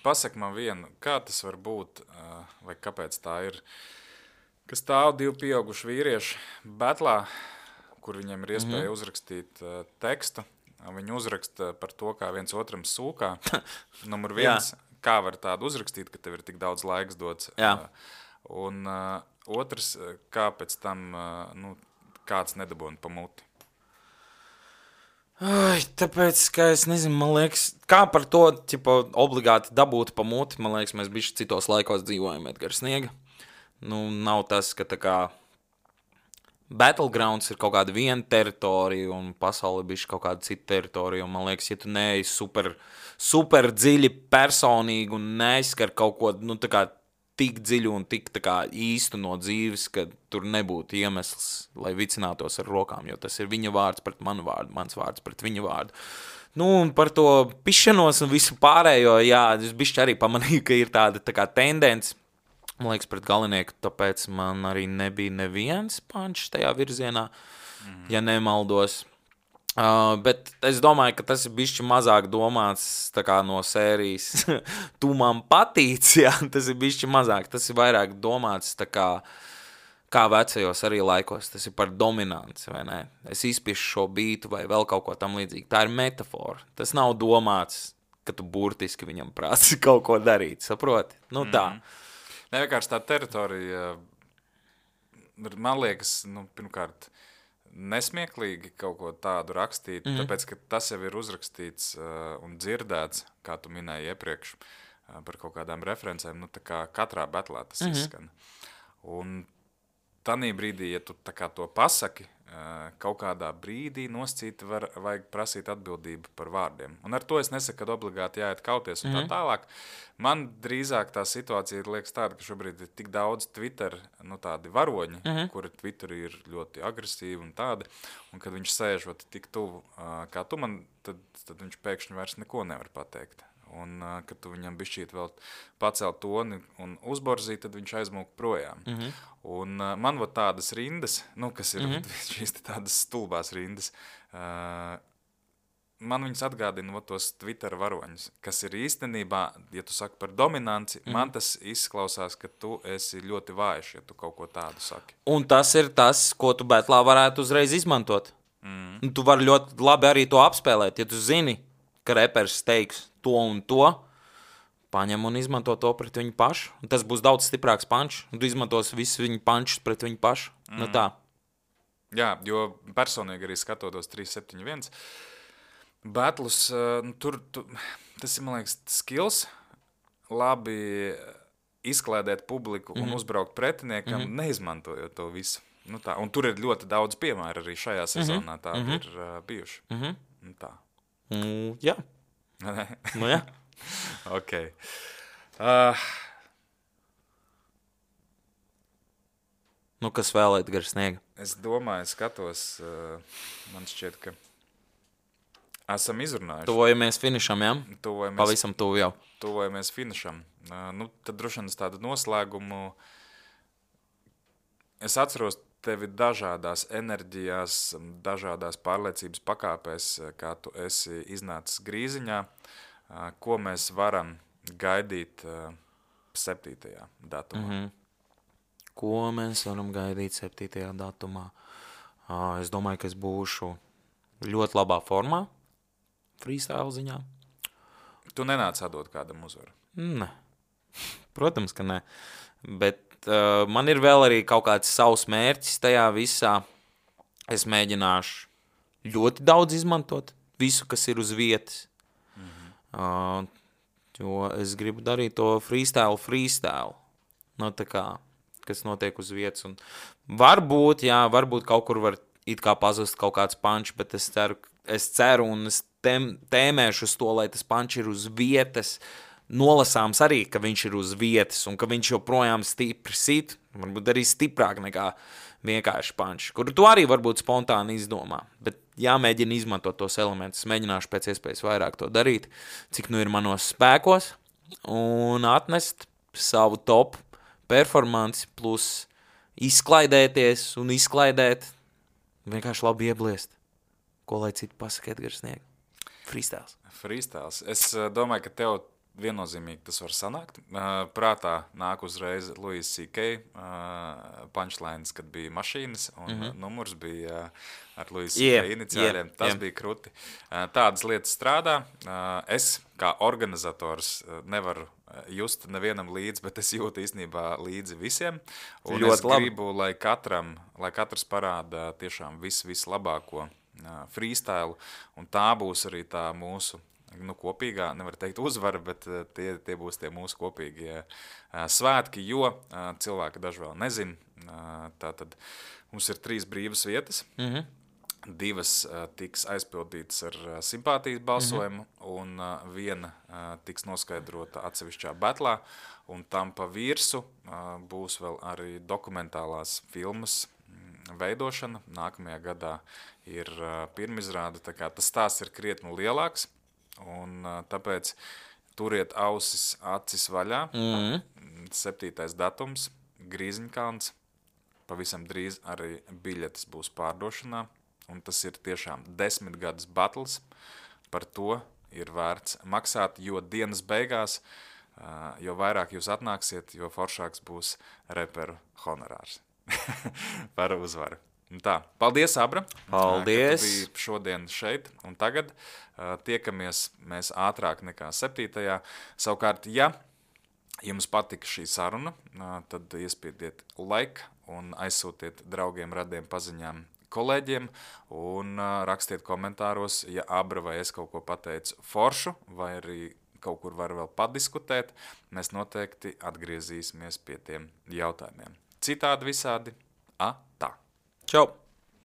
Pasaka man vienu, kā tas var būt, vai kāpēc tā ir, ka stāv divi pieauguši vīrieši betlā, kur viņiem ir iespēja mm-hmm. uzrakstīt uh, tekstu. Viņi uzraksta par to, kā viens otram sūkā. Numur viens, kā var tādu uzrakstīt, ka tev ir tik daudz laiks dots. Jā. Un uh, otrs, kā pēc tam uh, nu, kāds nedabūna pa muti. Ai, tāpēc, ka es nezinu, man liekas, kā par to ķipa, obligāti dabūt pa muti. Man liekas, mēs bišķi citos laikos dzīvojam Edgars Sniega. Nu, nav tas, ka tā kā Battlegrounds ir kaut kāda viena teritorija un pasaule ir bišķi kaut kāda cita teritorija. Un man liekas, ja tu neej super, super dziļi personīgi un neizskar kaut ko, nu, tā kā tik dziļu un tik tā kā īstu no dzīves, ka tur nebūtu iemesls, lai vicinātos ar rokām, jo tas ir viņa vārds pret manu vārdu, mans vārds pret viņa vārdu. Nu, un par to pišanos un visu pārējo, jā, es bišķi arī pamanīju, ka ir tāda tā kā tendence, man liekas, pret Galinieku, tāpēc man arī nebija neviens pančs tajā virzienā, mm. ja nemaldos. Uh, bet es domāju, ka tas ir bišķi mazāk domāts tā kā no sērijas tu man patīc, jā, tas ir bišķi mazāk, tas ir vairāk domāts tā kā, kā vecajos arī laikos, tas ir par dominanci, vai ne? Es izpišu šo bītu vai vēl kaut ko tam līdzīgi, tā ir metafora, tas nav domāts, ka tu burtiski viņam prasi kaut ko darīt, saproti? Nu tā. Mm. Ne, vienkārši tā teritorija, man liekas, nu, pirmkārt, nesmieklīgi kaut ko tādu rakstīt, mm. tāpēc, ka tas jau ir uzrakstīts uh, un dzirdēts, kā tu minēji iepriekš, uh, par kaut kādām referencēm, nu tā kā katrā betlā tas mm-hmm. izskan. Un tanī brīdī, ja tu tā kā to pasaki, uh, kaut kādā brīdī noscīt var, vajag prasīt atbildību par vārdiem. Un ar to es nesaku, ka obligāti jāiet kauties un mm-hmm. tā tālāk. Man drīzāk tā situācija liekas tāda, ka šobrīd ir tik daudz Twitter, nu tādi varoņi, mm-hmm. kuri Twitterī ir ļoti agresīvi un tādi, un kad viņš sēžot tik tuvu uh, kā tu man, tad, tad viņš pēkšņi vairs neko nevar pateikt. Un, uh, kad tu viņam bišķīt vēl pacelt toni un uzborzīt, tad viņš aizmūk projām. Mm-hmm. Un uh, man vot tādas rindas, nu, kas ir mm-hmm. šīs tādas stulbās rindas, uh, man viņas atgādina vat, tos Twitter varoņus, kas ir īstenībā, ja tu saki par dominanci, mm. man tas izklausās, ka tu esi ļoti vājš, ja tu kaut ko tādu saki. Un tas ir tas, ko tu betlā varētu uzreiz izmantot. Mm. Un tu vari ļoti labi arī to apspēlēt, ja tu zini, ka repers teiks to un to, paņem un izmanto to pret viņu pašu. Un tas būs daudz stiprāks pančs, un tu izmantos visus viņu pančus pret viņu pašu. Mm. Nu tā. Jā, jo personīgi arī skatotos trīs septiņi viens, Battles, nu, tur, tu, tas ir, man liekas, skills, labi izklēdēt publiku un mm-hmm. uzbraukt pretiniekam, mm-hmm. neizmantojot to visu. Nu, tā. Un tur ir ļoti daudz piemēru arī šajā sezonā, mm-hmm. tādi mm-hmm. ir uh, bijuši. Mm-hmm. Nu, tā. Mm, jā. Nu, jā. Ok. Uh, nu, kas vēl Edgars Sniega? Es domāju, skatos, uh, man šķiet, ka esam izrunājuši. Tuvojamies finišam, jā? Tuvojamies, Pavisam tuvu jau. Tuvojamies finišam. Uh, nu, tad droši vien tādu noslēgumu. Es atceros tevi dažādās enerģijās, dažādās pārliecības pakāpēs, kā tu esi iznācis grīziņā. Uh, ko mēs varam gaidīt uh, septītajā datumā? Mm-hmm. Ko mēs varam gaidīt septītajā datumā? Uh, es domāju, ka es būšu ļoti labā formā. Freestyle ziņā. Tu nenāc atdot kādam uzvaru? Nē. Protams, ka nē. Bet uh, man ir vēl arī kaut kāds savs mērķis tajā visā. Es mēģināšu ļoti daudz izmantot visu, kas ir uz vietas. Mm-hmm. Uh, jo es gribu darīt to freestyle, freestyle. No tā kā, kas notiek uz vietas. Un varbūt, jā, varbūt kaut kur var it kā pazust kaut kāds pančs, bet es ceru, es ceru un es tēm, tēmēšu uz to, lai tas pančs ir uz vietas, nolasāms arī, ka viņš ir uz vietas un ka viņš joprojām stipri sit, varbūt arī stiprāk nekā vienkārši pančs, kuru tu arī varbūt spontāni izdomā, bet jāmēģina izmantot tos elementus, mēģināšu pēc iespējas vairāk to darīt, cik nu ir manos spēkos un atnest savu top performanci plus izklaidēties un izklaidēt, vienkārši labi iebliest. Ko lai citu pasaka Edgars Sniega? Freestyles. Freestyles. Es uh, domāju, ka tev viennozīmīgi tas var sanākt. Uh, prātā nāk uzreiz Louis C K uh, punchlines, kad bija mašīnas, un mm-hmm. uh, numurs bija uh, ar Louis C K yeah, iniciāļiem. Yeah, tas yeah. bija kruti. Uh, tādas lietas strādā. Uh, es, kā organizators, uh, nevaru just nevienam līdzi, bet es jūtu īstenībā līdzi visiem. Un ļoti es labi. Gribu, lai katram, lai katrs parāda tiešām visu, visu labāko freestyle, un tā būs arī tā mūsu nu, kopīgā, nevar teikt uzvara, bet tie, tie būs tie mūsu kopīgie svētki, jo cilvēki daži vēl nezin. Tātad mums ir trīs brīvas vietas. Mhm. Divas uh, tiks aizpildītas ar uh, simpātijas balsojumu, mm-hmm. un uh, viena uh, tiks noskaidrota atsevišķā betlā, un tam pa virsu uh, būs vēl arī dokumentālās filmas mm, veidošana. Nākamajā gadā ir uh, pirmizrāde, tā kā tas stāsts ir krietni lielāks, un uh, tāpēc turiet ausis, acis vaļā. Mm-hmm. Septītais datums, Grīziņkalns, pavisam drīz arī biļetes būs pārdošanā. Un tas ir tiešām desmit gadus battles, par to ir vērts maksāt, jo dienas beigās, jo vairāk jūs atnāksiet, jo foršāks būs reperu honorārs par uzvaru. Un tā, paldies, Abra, paldies. Ka tu biji šodien šeit, un tagad tiekamies mēs ātrāk nekā septītajā. Savukārt, ja jums patika šī saruna, tad iespiediet like un aizsūtiet draugiem, radiem, paziņām, kolēģiem un uh, rakstiet komentāros, ja Abra vai es kaut ko pateicu foršu vai arī kaut kur var vēl padiskutēt, mēs noteikti atgriezīsimies pie tiem jautājumiem. Citādi visādi, a, tā. Čau!